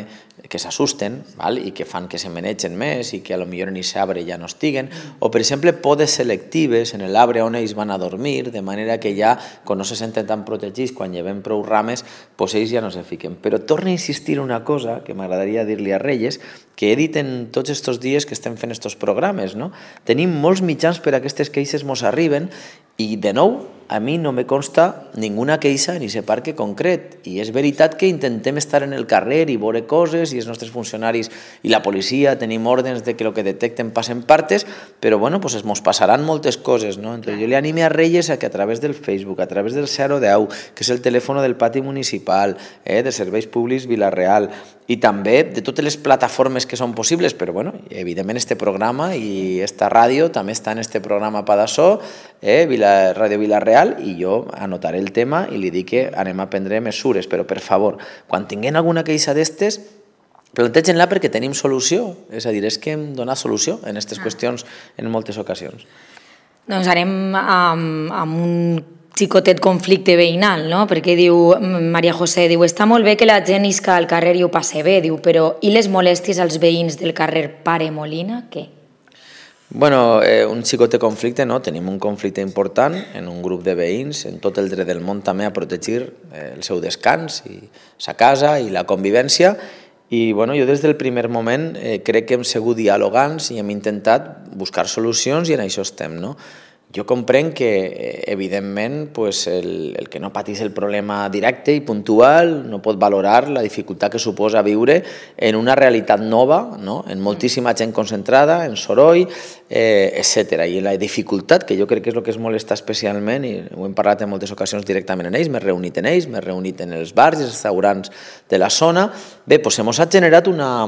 que s'assusten i que fan que se menegen més i que potser en aquest arbre ja no estiguen, o per exemple podes selectives en l'arbre on ells van a dormir, de manera que ja quan no se senten tan protegits, quan llevem prou rames, ells ja no se fiquen. Però torno a insistir en una cosa que m'agradaria dir-li a Reyes, que he dit en tots aquests dies que estem fent aquests programes. Tenim molts mitjans per a aquestes queixes ens arriben, i de nou, a mi no me consta ninguna queixa en aquest parc concret, i és veritat que intentem estar en el carrer i veure coses, i els nostres funcionaris i la policia tenim ordres de que el que detecten passen partes, però ens passaran moltes coses. Entonces, jo li anime a Reyes a que a través del Facebook, a través del 010, que és el telèfon del pati municipal, de Serveis Públics Vila-real, i també de totes les plataformes que són possibles, però evidentment este programa i esta ràdio també està en este programa Padassó, Ràdio Vila-real, i jo anotaré el tema i li dic que anem a prendre mesures, però per favor, quan tinguem alguna queixa d'estes, plantegin-la perquè tenim solució, és a dir, és que hem donat solució en aquestes qüestions en moltes ocasions. Doncs anem amb un xicotet conflicte veïnal, perquè diu, Maria José, diu, està molt bé que la gent isca al carrer i ho passe bé, diu, però i les molèsties als veïns del carrer Pare Molina, què? Un xicotet conflicte, tenim un conflicte important en un grup de veïns, en tot el dret del món també a protegir el seu descans i sa casa i la convivència, i jo des del primer moment crec que hem sigut dialogants i hem intentat buscar solucions, i en això estem. Jo comprenc que, evidentment, el que no patís el problema directe i puntual no pot valorar la dificultat que suposa viure en una realitat nova, en moltíssima gent concentrada, en soroll, etc. I la dificultat, que jo crec que és el que es molesta especialment, i ho hem parlat en moltes ocasions directament amb ells, m'he reunit en ells, m'he reunit en els bars i els restaurants de la zona, ens ha generat una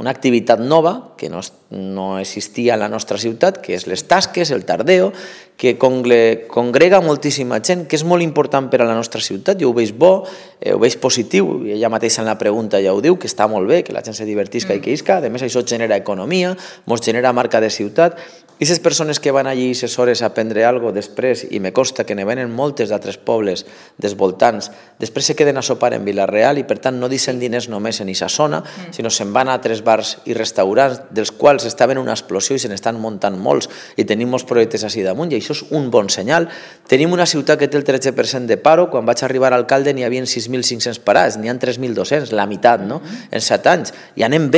activitat nova que no existia a la nostra ciutat, que és les tasques, el tardeo, que congrega moltíssima gent, que és molt important per a la nostra ciutat. Jo ho veig bo, ho veig positiu, i ella mateixa en la pregunta ja ho diu, que està molt bé, que la gent se divertisca i que isca, a més això genera economia, ens genera marca de ciutat, i aquestes persones que van allí 6 hores a aprendre alguna cosa després, i me consta que ne venen moltes d'altres pobles dels voltants, després se queden a sopar en Vila-real i per tant no deixen diners només en aquesta zona, sinó se'n van a altres bars i restaurants dels quals estaven una explosió i se n'estan muntant molts, i tenim molts projectes així damunt, i això és un bon senyal. Tenim una ciutat que té el 13% de paro, quan vaig arribar a alcalde n'hi havia 6.500 parats, n'hi ha 3.200, la meitat, en 7 anys, i anem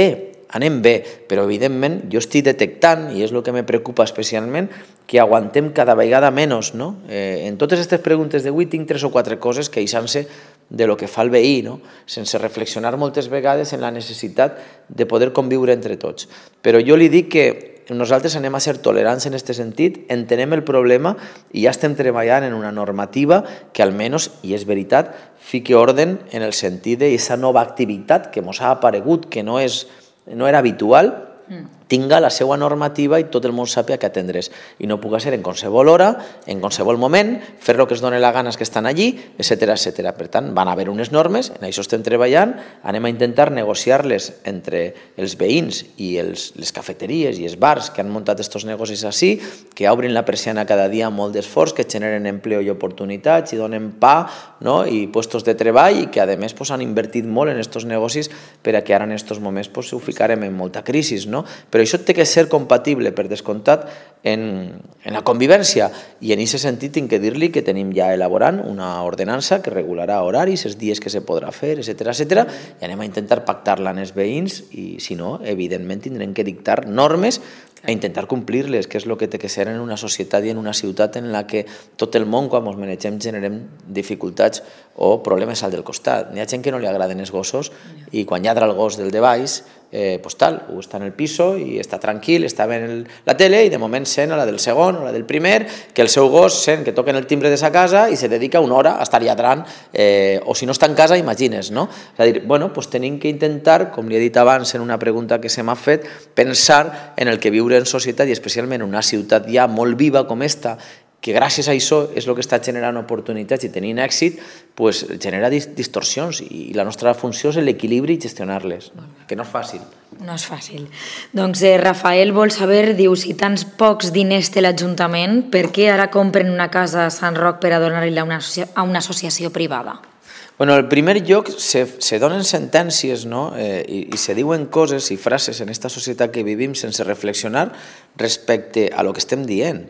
bé, però evidentment jo estic detectant, i és el que me preocupa especialment, que aguantem cada vegada menys. En totes aquestes preguntes d'avui tinc 3 o 4 coses queixant-se de lo que fa el veí, sense reflexionar moltes vegades en la necessitat de poder conviure entre tots. Però jo li dic que nosaltres anem a ser tolerants en aquest sentit, entenem el problema i ja estem treballant en una normativa que almenys, i és veritat, fiqui orden en el sentit d'aquesta nova activitat que ens ha aparegut, que no era habitual, tinga la seva normativa i tot el món sàpiga que atendre's. I no puga ser en qualsevol hora, en qualsevol moment, fer el que es doni la gana que estan allí, etc. Per tant, van haver unes normes, en això estem treballant, anem a intentar negociar-les entre els veïns i les cafeteries i els bars que han muntat aquests negocis així, que obrin la persiana cada dia amb molt d'esforç, que generen empleo i oportunitats i donen pa i puestos de treball i que a més han invertit molt en aquests negocis per a que ara en aquests moments ho ficarem en molta crisi. Però això té que ser compatible, per descomptat, en la convivència. I en aquest sentit tinc que dir-li que tenim ja elaborant una ordenança que regularà horaris, els dies que se podrà fer, etc. I anem a intentar pactar-la amb els veïns i, si no, evidentment tindrem que dictar normes a intentar complir-les, que és el que té que ser en una societat i en una ciutat en la que tot el món, quan ens manegem, generem dificultats o problemes al del costat. N'hi ha gent que no li agraden els gossos i quan lladra el gos del de baix, o està en el piso i està tranquil, està veient la tele i de moment sent a la del segon o la del primer que el seu gos sent que toquen el timbre de sa casa i se dedica una hora a estar lladrant, o si no està en casa, imagines, no? És a dir, tenim que intentar, com li he dit abans en una pregunta que se m'ha fet, pensar en el que viure en societat i especialment en una ciutat ja molt viva com esta, que gràcies a això és el que està generant oportunitats i tenint èxit, genera distorsions i la nostra funció és l'equilibri i gestionar-les, que no és fàcil. No és fàcil. Doncs Rafael vol saber, diu, si tants pocs diners té l'Ajuntament, per què ara compren una casa a Sant Roc per a donar-la a una associació privada? En primer lloc, se donen sentències i se diuen coses i frases en aquesta societat que vivim sense reflexionar respecte a lo que estem dient.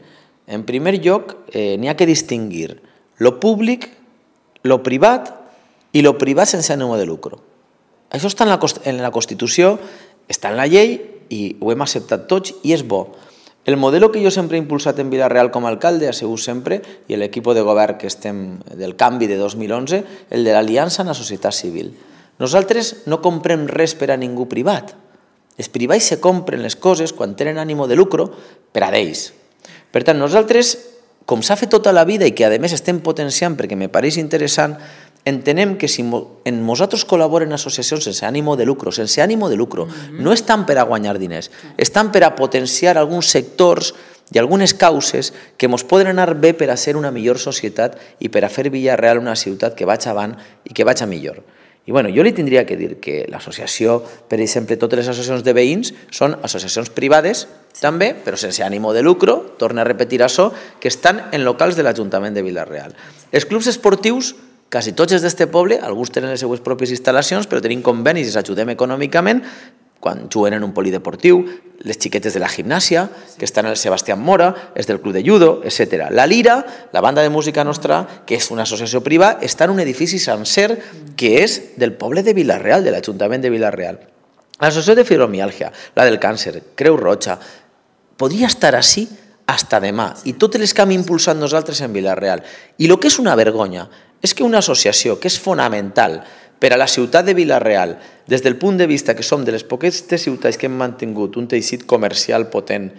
En primer lloc, n'hi ha que distingir lo públic, lo privat i lo privat sense ànim de lucre. Això està en la Constitució, està en la llei i ho hem acceptat tots i és bo. El model que jo sempre he impulsat en Vila-real com a alcalde ha sigut sempre, i l'equip de govern que estem del canvi de 2011, el de l'aliança en la societat civil. Nosaltres no comprem res per a ningú privat. Els privats se compren les coses quan tenen ànim de lucre per a d'ells. Per tant, nosaltres, com s'ha fet tota la vida i que a més estem potenciant perquè me pareix interessant, entenem que si nosaltres col·laboren associacions sense ànim de lucre, no estan per a guanyar diners, estan per a potenciar alguns sectors i algunes causes que ens poden anar bé per a ser una millor societat i per a fer Vila-real una ciutat que vaig avant i que vaig a millor. I jo li tindria que dir que l'associació, per exemple, totes les associacions de veïns són associacions privades, també, però sense ànim de lucre, torno a repetir això, que estan en locals de l'Ajuntament de Vila-real. Els clubs esportius, quasi tots els d'este poble, alguns tenen les seues pròpies instal·lacions, però tenim convenis i els ajudem econòmicament, quan juguen en un polideportiu, les xiquetes de la gimnàsia, que estan en el Sebastián Mora, els del club de judo, etc. La Lira, la banda de música nostra, que és una associació privada, està en un edifici sencer que és del poble de Vila-real, de l'Ajuntament de Vila-real. L'associació de fibromiàlgia, la del càncer, Creu Roja, podria estar així fins demà, i totes les que hem impulsat nosaltres en Vila-real. I el que és una vergonya és que una associació que és fonamental per a la ciutat de Vila-real, des del punt de vista que som de les poques ciutats que hem mantingut un teixit comercial potent,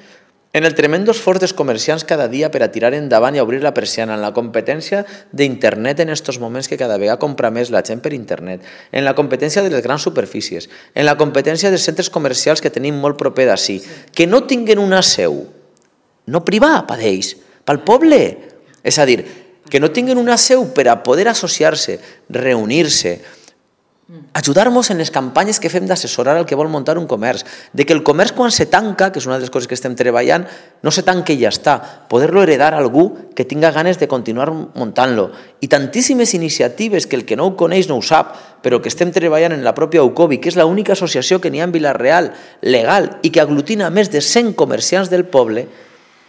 en el tremendo esforç dels comerciants cada dia per a tirar endavant i obrir la persiana, en la competència d'internet en aquests moments que cada vegada compra més la gent per internet, en la competència de les grans superfícies, en la competència dels centres comercials que tenim molt proper d'ací, que no tinguen una seu, no privada per ells, pel poble. És a dir, que no tinguen una seu per a poder associar-se, reunir-se, ajudar-nos en les campanyes que fem d'assessorar el que vol muntar un comerç, de que el comerç quan se tanca, que és una de les coses que estem treballant, no se tanca i ja està, poder-lo heredar a algú que tinga ganes de continuar muntant-lo. I tantíssimes iniciatives que el que no ho coneix no ho sap, però que estem treballant en la pròpia UCOBI, que és l'única associació que n'hi ha en Vila-real, legal, i que aglutina més de 100 comerciants del poble.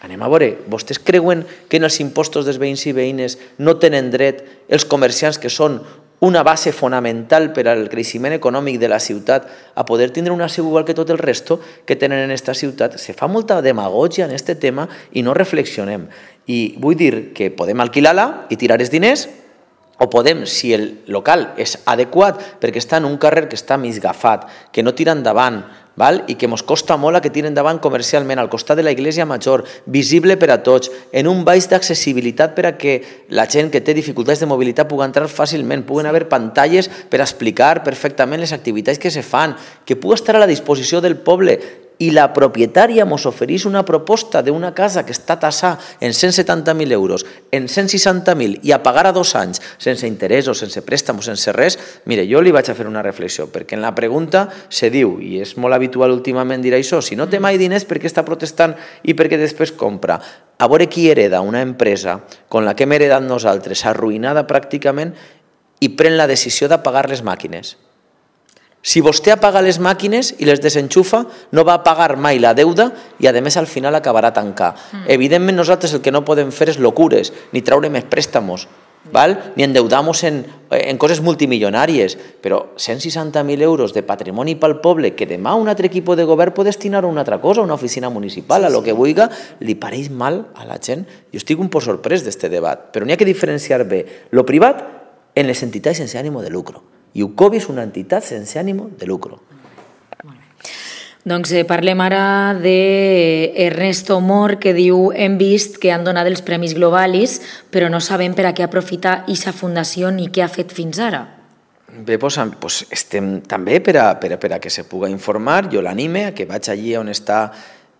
Anem a veure, vostès creuen que en els impostos dels veïns i veïnes no tenen dret els comerciants que són una base fonamental per al creixement econòmic de la ciutat a poder tindre una seu igual que tot el resto que tenen en aquesta ciutat? Se fa molta demagògia en aquest tema i no reflexionem. I vull dir que podem alquilar-la i tirar els diners, o podem, si el local és adequat, perquè està en un carrer que està misgafat, que no tira endavant, i que ens costa molt a que tiri endavant comercialment, al costat de la Iglesia Major, visible per a tots, en un baix d'accessibilitat per a que la gent que té dificultats de mobilitat pugui entrar fàcilment, puguen haver pantalles per explicar perfectament les activitats que se fan, que pugui estar a la disposició del poble. i la propietària ens ofereix una proposta d'una casa que està tassada en 170.000 euros, en 160.000 i a pagar a 2 anys, sense interès o sense préstamo, sense res, mire, jo li vaig a fer una reflexió, perquè en la pregunta se diu, i és molt habitual últimament dir això, si no té mai diners, per què està protestant i per què després compra? A veure qui hereda una empresa con la que hem heredat nosaltres, arruïnada pràcticament, i pren la decisió de pagar les màquines. Si vostè apaga les màquines i les desenxufa, no va a pagar mai la deuda i, a més, al final acabarà tancar. Evidentment, nosaltres el que no podem fer és locures, ni treure més préstamos, ni endeudar-nos en coses multimilionàries, però 160.000 euros de patrimoni pel poble que demà un altre equip de govern pot destinar a una altra cosa, a una oficina municipal, a lo que vulgui, li pareix mal a la gent. Jo estic un poc sorprès d'aquest debat, però n'hi ha que diferenciar bé lo privat en les entitats sense ànimo de lucro. I UCOBI és una entitat sense ànimo de lucro. Doncs parlem ara d'Ernesto Mor, que diu: hem vist que han donat els Premis Globalis, però no sabem per a què aprofita aquesta fundació ni què ha fet fins ara. Bé, doncs estem també per a que se pugui informar. Jo l'anime a que vaig allí on està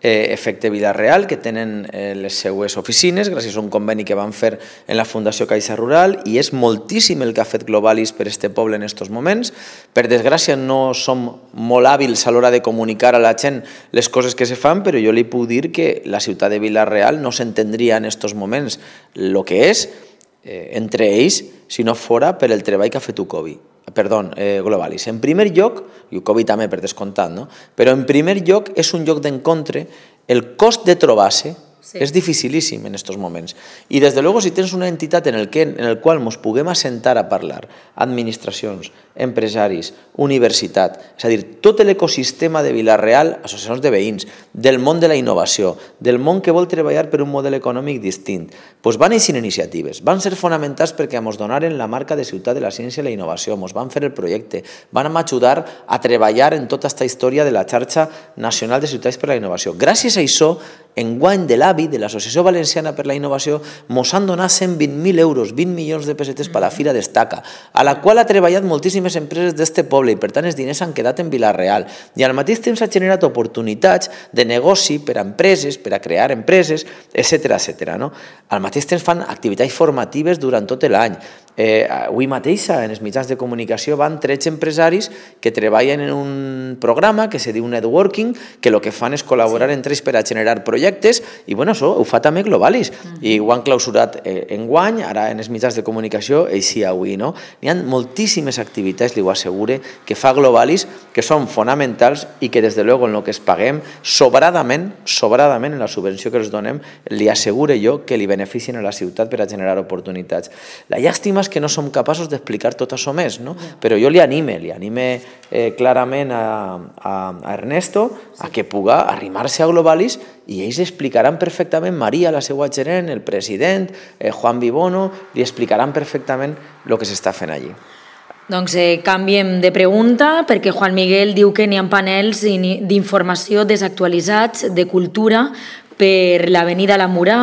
Efecte Vila-real, que tenen les seues oficines gràcies a un conveni que van fer en la Fundació Caixa Rural, i és moltíssim el que ha fet Globalis per este poble en estos moments. Per desgràcia no som molt hàbils a l'hora de comunicar a la gent les coses que se fan, però jo li puc dir que la ciutat de Vila-real no s'entendria en estos moments el que és entre ells si no fora per el treball que ha fet Globalis. En primer lloc, i UCOBI també per descomptat, però en primer lloc és un lloc d'encontre, el cost de trobar-se és dificilíssim en aquests moments. I des de luego, si tens una entitat en el qual ens puguem assentar a parlar, administracions, empresaris, universitat, és a dir, tot l'ecosistema de Vila-real, associacions de veïns, del món de la innovació, del món que vol treballar per un model econòmic distint, doncs van eixir iniciatives, van ser fonamentals perquè ens donaren la marca de ciutat de la ciència i la innovació, ens van fer el projecte, van ajudar a treballar en tota aquesta història de la xarxa nacional de ciutats per la innovació. Gràcies a això, enguany de l'AVI, de l'Associació Valenciana per la Innovació, ens han donat 120.000 euros, 20 milions de pessetes per a la Fira Destaca, a la qual ha treballat moltíssimes empreses d'este poble i, per tant, els diners han quedat en Vila-real. I al mateix temps ha generat oportunitats de negoci per a empreses, per a crear empreses, etc. Al mateix temps fan activitats formatives durant tot l'any. Avui mateixa, en els mitjans de comunicació, van 13 empresaris que treballen en un programa que se diu Networking, que el que fan és col·laborar entre ells per a generar projectes, i això ho fa també Globalis. I ho han clausurat enguany, ara en els mitjans de comunicació, així avui. N'hi ha moltíssimes activitats, li ho assegure, que fa Globalis, que són fonamentals i que, des de luego, en el que es paguem, sobradament en la subvenció que els donem, li assegure jo que li beneficien a la ciutat per a generar oportunitats. La llàstima és que no som capaços d'explicar tot això més, però jo li anime clarament a Ernesto a que puga arrimar-se a Globalis i ells explicaran perfectament, Maria, la seva gerent, el president, Juan Vibono, li explicaran perfectament el que s'està fent allí. Doncs canviem de pregunta, perquè Juan Miguel diu que n'hi ha panels d'informació desactualitzats de cultura per l'avenida La Murà.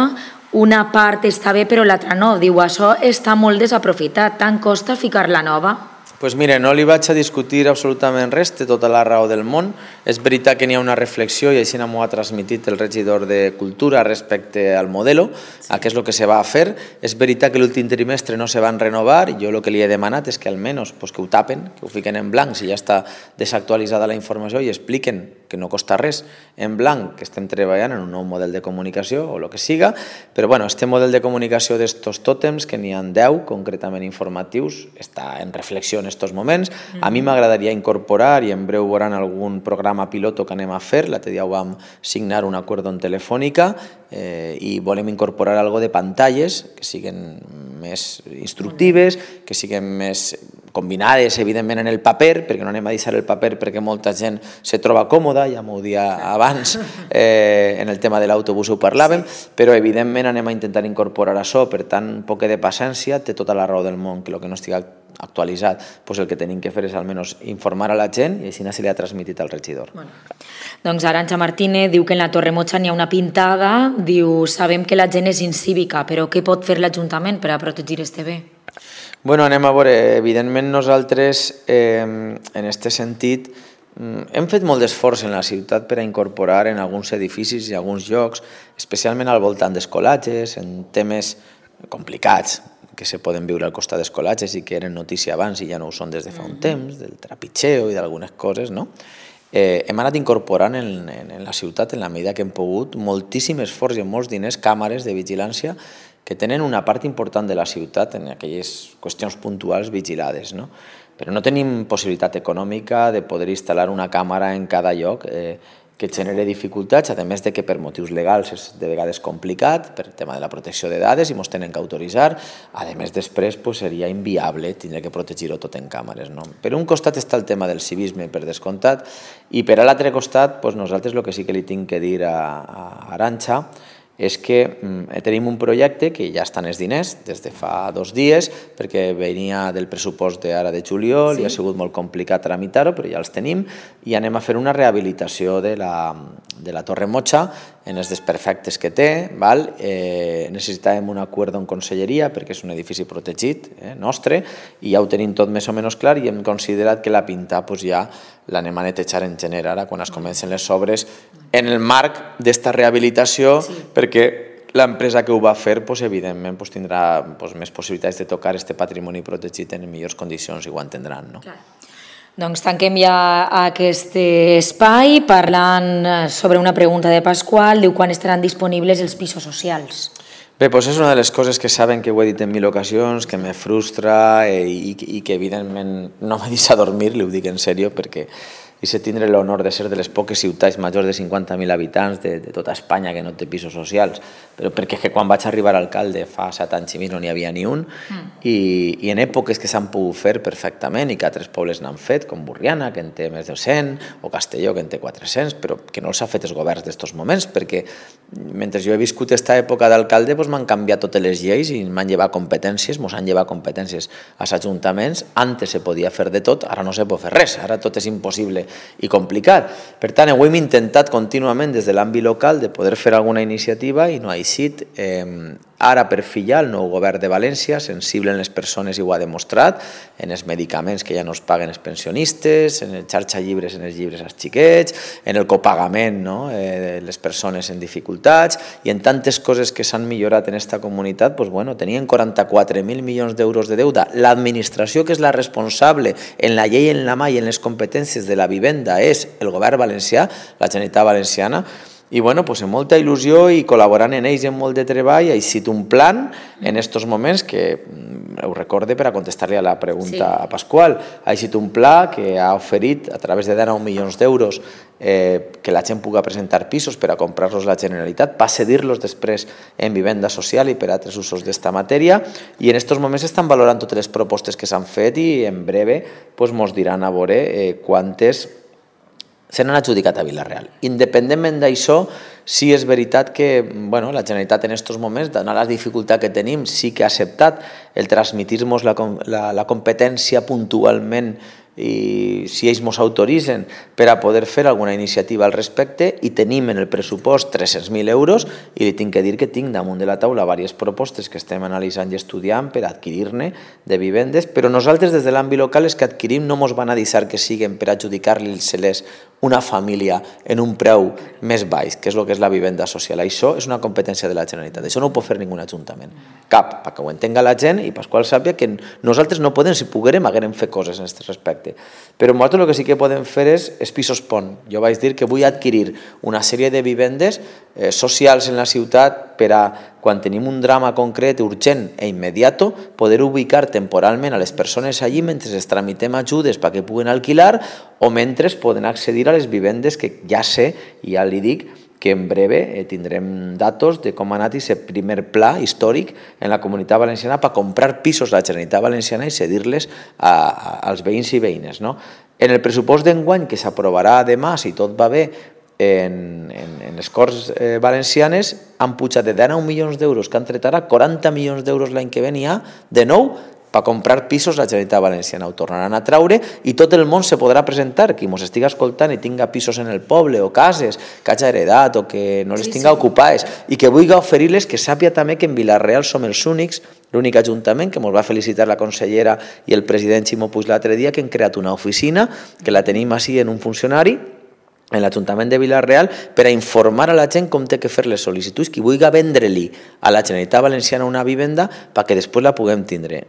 Una part està bé però l'altra no. Diu, això està molt desaprofitat, tant costa ficar-la nova? Doncs mira, no li vaig a discutir absolutament res, té tota la raó del món. És veritat que n'hi ha una reflexió i així m'ho ha transmitit el regidor de Cultura respecte al modelo, a què és el que se va a fer. És veritat que l'últim trimestre no se van renovar, jo el que li he demanat és que almenys que ho tapen, que ho fiquen en blanc si ja està desactualitzada la informació i expliquen que no costa res en blanc, que estem treballant en un nou model de comunicació o el que siga, però este model de comunicació d'estos tòtems, que n'hi ha 10 concretament informatius, està en reflexió en estos moments. A mi m'agradaria incorporar, i en breu veuran algun programa piloto que anem a fer, l'altre dia vam signar un acord en telefònica i volem incorporar algo de pantalles que siguin més instructives, que siguin més combinades, evidentment, en el paper, perquè no anem a deixar el paper perquè molta gent se troba còmoda, ja m'ho dia abans, en el tema de l'autobús ho parlàvem, però evidentment anem a intentar incorporar això, per tant, un poc de paciència, té tota la raó del món, que el que no estigui actualitzat, el que tenim que fer és almenys informar a la gent i així se li ha transmitit al regidor. Doncs Arantxa Martínez diu que en la Torre Motxa n'hi ha una pintada, diu, sabem que la gent és incívica, però què pot fer l'Ajuntament per a protegir este bé? Anem a veure, evidentment nosaltres en aquest sentit hem fet molt d'esforç en la ciutat per a incorporar en alguns edificis i alguns llocs, especialment al voltant d'escolatges, en temes complicats que se poden viure al costat d'escolatges i que eren notícia abans i ja no ho són des de fa un temps, del trepitxeo i d'algunes coses, no? Hem anat incorporant en la ciutat, en la medida que hem pogut, moltíssim esforç i molts diners, càmeres de vigilància que tenen una part important de la ciutat en aquelles qüestions puntuals vigilades, no? Però no tenim possibilitat econòmica de poder instal·lar una càmera en cada lloc que genere dificultats, a més de que per motius legals és de vegades complicat, per tema de la protecció de dades, i ens tenen que autoritzar. A més, després seria inviable tindre que protegir-ho tot en càmeres. Per un costat està el tema del civisme, per descomptat, i per a l'altre costat, nosaltres el que sí que li tinc que dir a Arantxa és que tenim un projecte que ja estan els diners des de fa 2 dies, perquè venia del pressupost d'ara de juliol i ha sigut molt complicat tramitar-ho, però ja els tenim, i anem a fer una rehabilitació de la Torre Motxa en els desperfectes que té. Necessitàvem un acord en conselleria perquè és un edifici protegit nostre i ja ho tenim tot més o menys clar i hem considerat que la pintar ja l'anem a netejar en gener ara quan es comencen les obres en el marc d'esta rehabilitació, perquè l'empresa que ho va fer evidentment tindrà més possibilitats de tocar aquest patrimoni protegit en millors condicions i ho entendran. Doncs tanquem ja aquest espai parlant sobre una pregunta de Pasqual. Diu quan estaran disponibles els pisos socials. Bé, és una de les coses que saben que ho he dit en 1000 ocasions, que me frustra i que evidentment no me deixa dormir, li ho dic en sèrio, perquè i se tindre l'honor de ser de les poques ciutats majors de 50.000 habitants de tota Espanya que no té pisos socials, però perquè quan vaig arribar a alcalde fa 7 anys i mig no n'hi havia ni un, i en èpoques que s'han pogut fer perfectament i que altres pobles n'han fet, com Borriana, que en té més de 100, o Castelló, que en té 400, però que no els ha fet els governs d'estos moments, perquè mentre jo he viscut aquesta època d'alcalde m'han canviat totes les lleis i m'han llevat competències, ens han llevat competències als ajuntaments. Antes se podia fer de tot, ara no se pot fer res, ara tot és impossible i complicat. Per tant, ho hem intentat contínuament des de l'àmbit local de poder fer alguna iniciativa i no ha eixit. Ara, per fi, el nou govern de València, sensible en les persones i ho ha demostrat, en els medicaments que ja no es paguen els pensionistes, en el xarxa llibres, en els llibres als xiquets, en el copagament de les persones en dificultats i en tantes coses que s'han millorat en aquesta comunitat. Tenien 44.000 milions d'euros de deuda. L'administració, que és la responsable en la llei, en la mà i en les competències de la vivenda, és el govern valencià, la Generalitat Valenciana. I amb molta il·lusió i col·laborant en ells i amb molt de treball ha eixit un plan en aquests moments que, ho recorde per a contestar-li a la pregunta a Pasqual, ha eixit un pla que ha oferit a través de 19 milions d'euros que la gent pugui presentar pisos per a comprar-los la Generalitat, per cedir-los després en vivenda social i per a altres usos d'esta matèria, i en aquests moments estan valorant totes les propostes que s'han fet i en breve ens diran a veure quantes se n'han adjudicat a Vila-real. Independentment d'això, sí és veritat que la Generalitat en aquests moments, donat la dificultat que tenim, sí que ha acceptat el transmitir-nos la competència puntualment i si ells ens autoritzen per a poder fer alguna iniciativa al respecte, i tenim en el pressupost 300.000 euros i li tinc que dir que tinc damunt de la taula diverses propostes que estem analitzant i estudiant per adquirir-ne de vivendes, però nosaltres des de l'àmbit local els que adquirim no ens van a deixar que siguin per adjudicar-li-se-les una família en un preu més baix, que és el que és la vivenda social. Això és una competència de la Generalitat, això no ho pot fer ningú ajuntament, cap, perquè ho entenga la gent i Pasqual sàpiga que nosaltres no podem, si poguérem, haguérem fet coses en aquest respecte. Però nosaltres el que sí que podem fer és pisos pont. Jo vaig dir que vull adquirir una sèrie de vivendes socials en la ciutat per a, quan tenim un drama concret, urgent i immediat, poder ubicar temporalment a les persones allí mentre es tramitem ajudes perquè puguen alquilar o mentre poden accedir a les vivendes que ja sé, i ja li dic, que en breve tindrem datos de com ha anat aquest primer pla històric en la Comunitat Valenciana per comprar pisos a la Generalitat Valenciana i cedir-les als veïns i veïnes. En el pressupost d'enguany, que s'aprovarà demà, si tot va bé, en les Corts Valencianes han pujat de 19 milions d'euros que han tret ara 40 milions d'euros l'any que ve n'hi ha de nou per comprar pisos la Generalitat Valenciana ho tornaran a traure i tot el món se podrà presentar, qui ens estigui escoltant i tinga pisos en el poble o cases que hagi heredat o que no les tinga ocupades i que vulgui oferir-les, que sàpia també que en Vila-real som els únics, l'únic ajuntament, que ens va felicitar la consellera i el president Ximo Puig l'altre dia, que hem creat una oficina, que la tenim així en un funcionari, en l'Ajuntament de Vila-real, per a informar a la gent com té que fer les sol·licituds, qui vulgui vendre-li a la Generalitat Valenciana una vivenda perquè després la puguem tindre.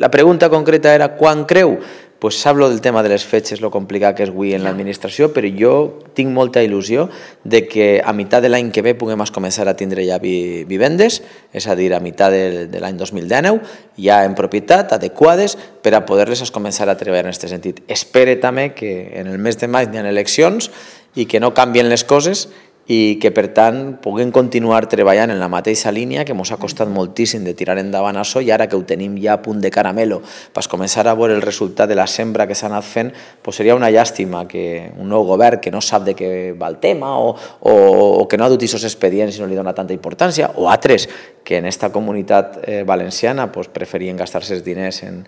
La pregunta concreta era quan creu? Pues hablo del tema de les fetges, lo complicat que és avui en l'administració, però jo tinc molta il·lusió de que a meitat de l'any que ve puguem començar a tindre ja vivendes, és a dir, a meitat de l'any 2019, ja en propietat, adequades, per a poder-les començar a treballar en aquest sentit. Espere també que en el mes de maig hi ha eleccions i que no canvien les coses i que, per tant, puguem continuar treballant en la mateixa línia que ens ha costat moltíssim de tirar endavant això i ara que ho tenim ja a punt de caramelo per començar a veure el resultat de la sembra que s'ha anat fent, seria una llàstima que un nou govern que no sap de què va el tema o que no ha dut aquests expedients i no li dona tanta importància, o altres que en esta comunitat valenciana preferien gastar-se els diners en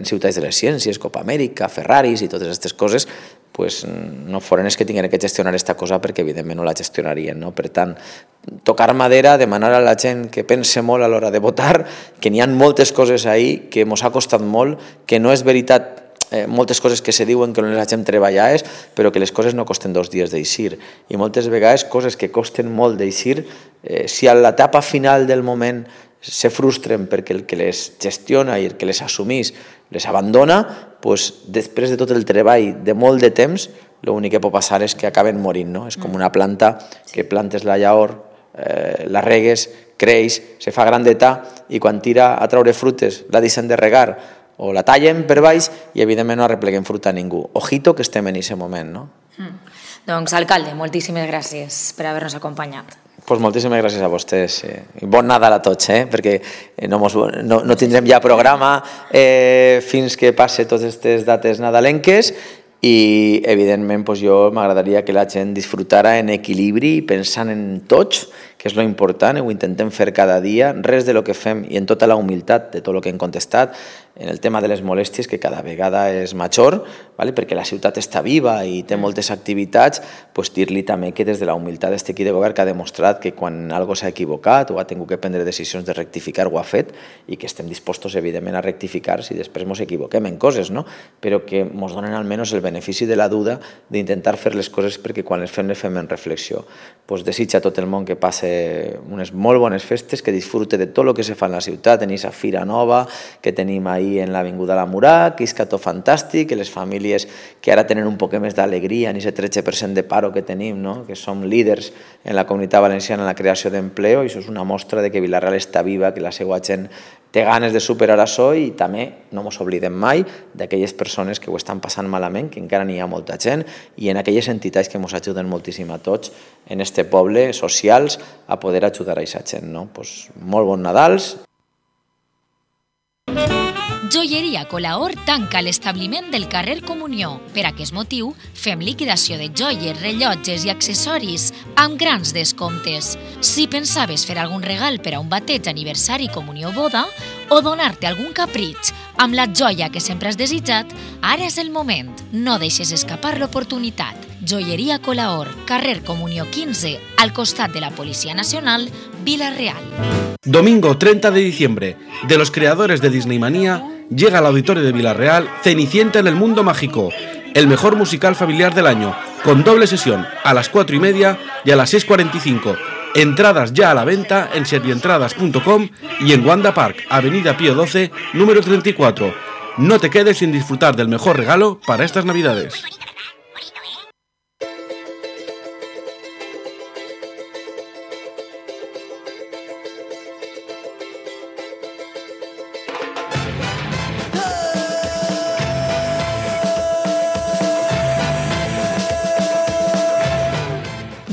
ciutats de les ciències, Copa Amèrica, Ferraris i totes aquestes coses, no foren els que tinguin que gestionar aquesta cosa perquè evidentment no la gestionarien. Per tant, tocar madera, demanar a la gent que pense molt a l'hora de votar, que n'hi ha moltes coses ahí que ens ha costat molt, que no és veritat moltes coses que se diuen que no les hagin treballades, però que les coses no costen 2 dies d'eixir. I moltes vegades coses que costen molt d'eixir, si a l'etapa final del moment se frustren perquè el que les gestiona i el que les assumís les abandona, després de tot el treball de molt de temps, l'únic que pot passar és que acaben morint. És com una planta que plantes la llavor, la regues, creix, se fa grandeta i quan tira a treure frutes la deixen de regar o la tallen per baix i evidentment no arrepleguem fruta a ningú. Ojito que estem en aquest moment. Doncs, alcalde, moltíssimes gràcies per haver-nos acompanyat. Moltíssimes gràcies a vostès i bon Nadal a tots, perquè no tindrem ja programa fins que passe totes aquestes dates nadalenques i evidentment jo m'agradaria que la gent disfrutara en equilibri pensant en tots, que és lo important, ho intentem fer cada dia, res de lo que fem i en tota la humilitat de tot el que hem contestat, en el tema de les molèsties, que cada vegada és major, perquè la ciutat està viva i té moltes activitats, dir-li també que des de la humilitat d'aquest equip de govern que ha demostrat que quan algo s'ha equivocat o ha tingut que prendre decisions de rectificar ho ha fet i que estem dispostos evidentment a rectificar si després ens equivoquem en coses, però que ens donen almenys el benefici de la duda d'intentar fer les coses perquè quan les fem en reflexió. Desitja a tot el món que passe unes molt bones festes, que disfrute de tot el que se fa en la ciutat, en aquesta fira nova que tenim ahir en l'Avinguda La Murà, que és tot fantàstic, que les famílies que ara tenen un poc més d'alegria en aquest 13% de paro que tenim, que som líders en la comunitat valenciana en la creació d'empleo, i això és una mostra de que Vila-real està viva, que la seva gent té ganes de superar això i també no ens oblidem mai d'aquelles persones que ho estan passant malament, que encara n'hi ha molta gent, i en aquelles entitats que ens ajuden moltíssim a tots en este poble, socials, a poder ajudar a aquesta gent. Molt bon Nadals. Joieria Colaor tanca l'establiment del carrer Comunió. Per aquest motiu, fem liquidació de joies, rellotges i accessoris amb grans descomptes. Si pensaves fer algun regal per a un bateig, aniversari, comunió o boda, o donar-te algun capritx amb la joia que sempre has desitjat, ara és el moment. No deixes escapar l'oportunitat. Joieria Colaor, carrer Comunió 15, al costat de la Policia Nacional, Vila-real. Domingo 30 de diciembre, de los creadores de Disneymania, llega al auditorio de Vila-real Cenicienta en el Mundo Mágico, el mejor musical familiar del año, con doble sesión a las 4:30 y a las 6:45. Entradas ya a la venta en servientradas.com y en Wanda Park, Avenida Pío XII, número 34. No te quedes sin disfrutar del mejor regalo para estas Navidades.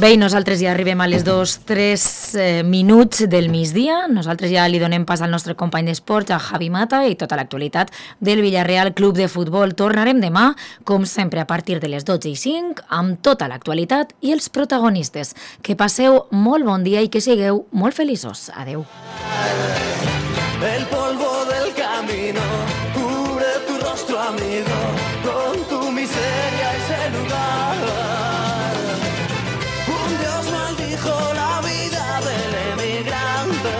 Bé, i nosaltres ja arribem a les 2-3 minuts del migdia. Nosaltres ja li donem pas al nostre company d'esports, a Javi Mata, i tota l'actualitat del Villarreal Club de Futbol. Tornarem demà, com sempre, a partir de les 12:05, amb tota l'actualitat i els protagonistes. Que passeu molt bon dia i que sigueu molt feliços. Adeu. El polvo del camino. Un Dios maldijo la vida del emigrante.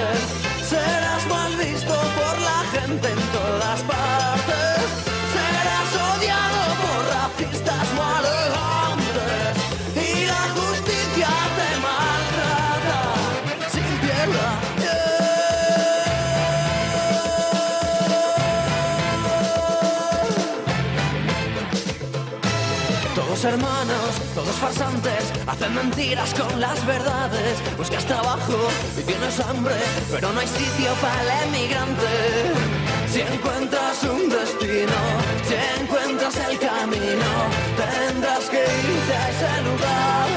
Serás mal visto por la gente en todas partes. Serás odiado por racistas maleantes. Y la justicia te maltrata sin piedad. Todos hermanos, todos farsantes, hacen mentiras con las verdades. Buscas trabajo y tienes hambre, pero no hay sitio para el emigrante. Si encuentras un destino, si encuentras el camino, tendrás que irte a ese lugar.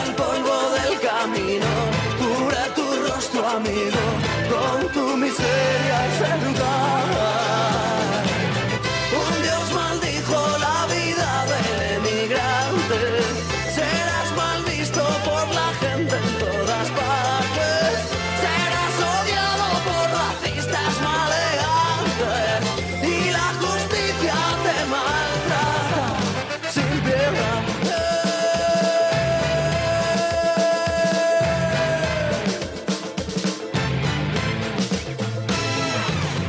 El polvo del camino cubre tu rostro, amigo, con tu miseria a ese lugar. Un Dios maldijo la vida del emigrante. Serás mal visto por la gente en todas partes. Serás odiado por racistas maleantes. Y la justicia te maltrata sin piedad.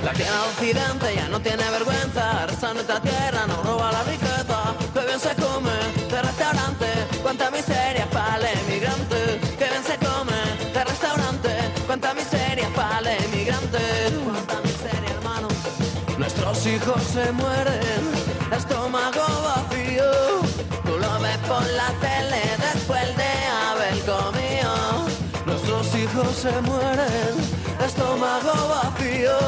La tierra occidente ya no tiene vergüenza. Arrasa nuestra tierra, no roba la riqueza. Que bien se come de restaurante. Cuánta miseria para el emigrante. Que bien se come de restaurante. Cuánta miseria para el emigrante. Cuánta miseria, hermano. Nuestros hijos se mueren, estómago vacío. Tú lo ves por la tele después de haber comido. Nuestros hijos se mueren, estómago vacío.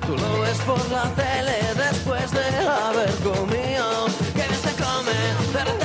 Tú lo ves por la tele después de haber comido.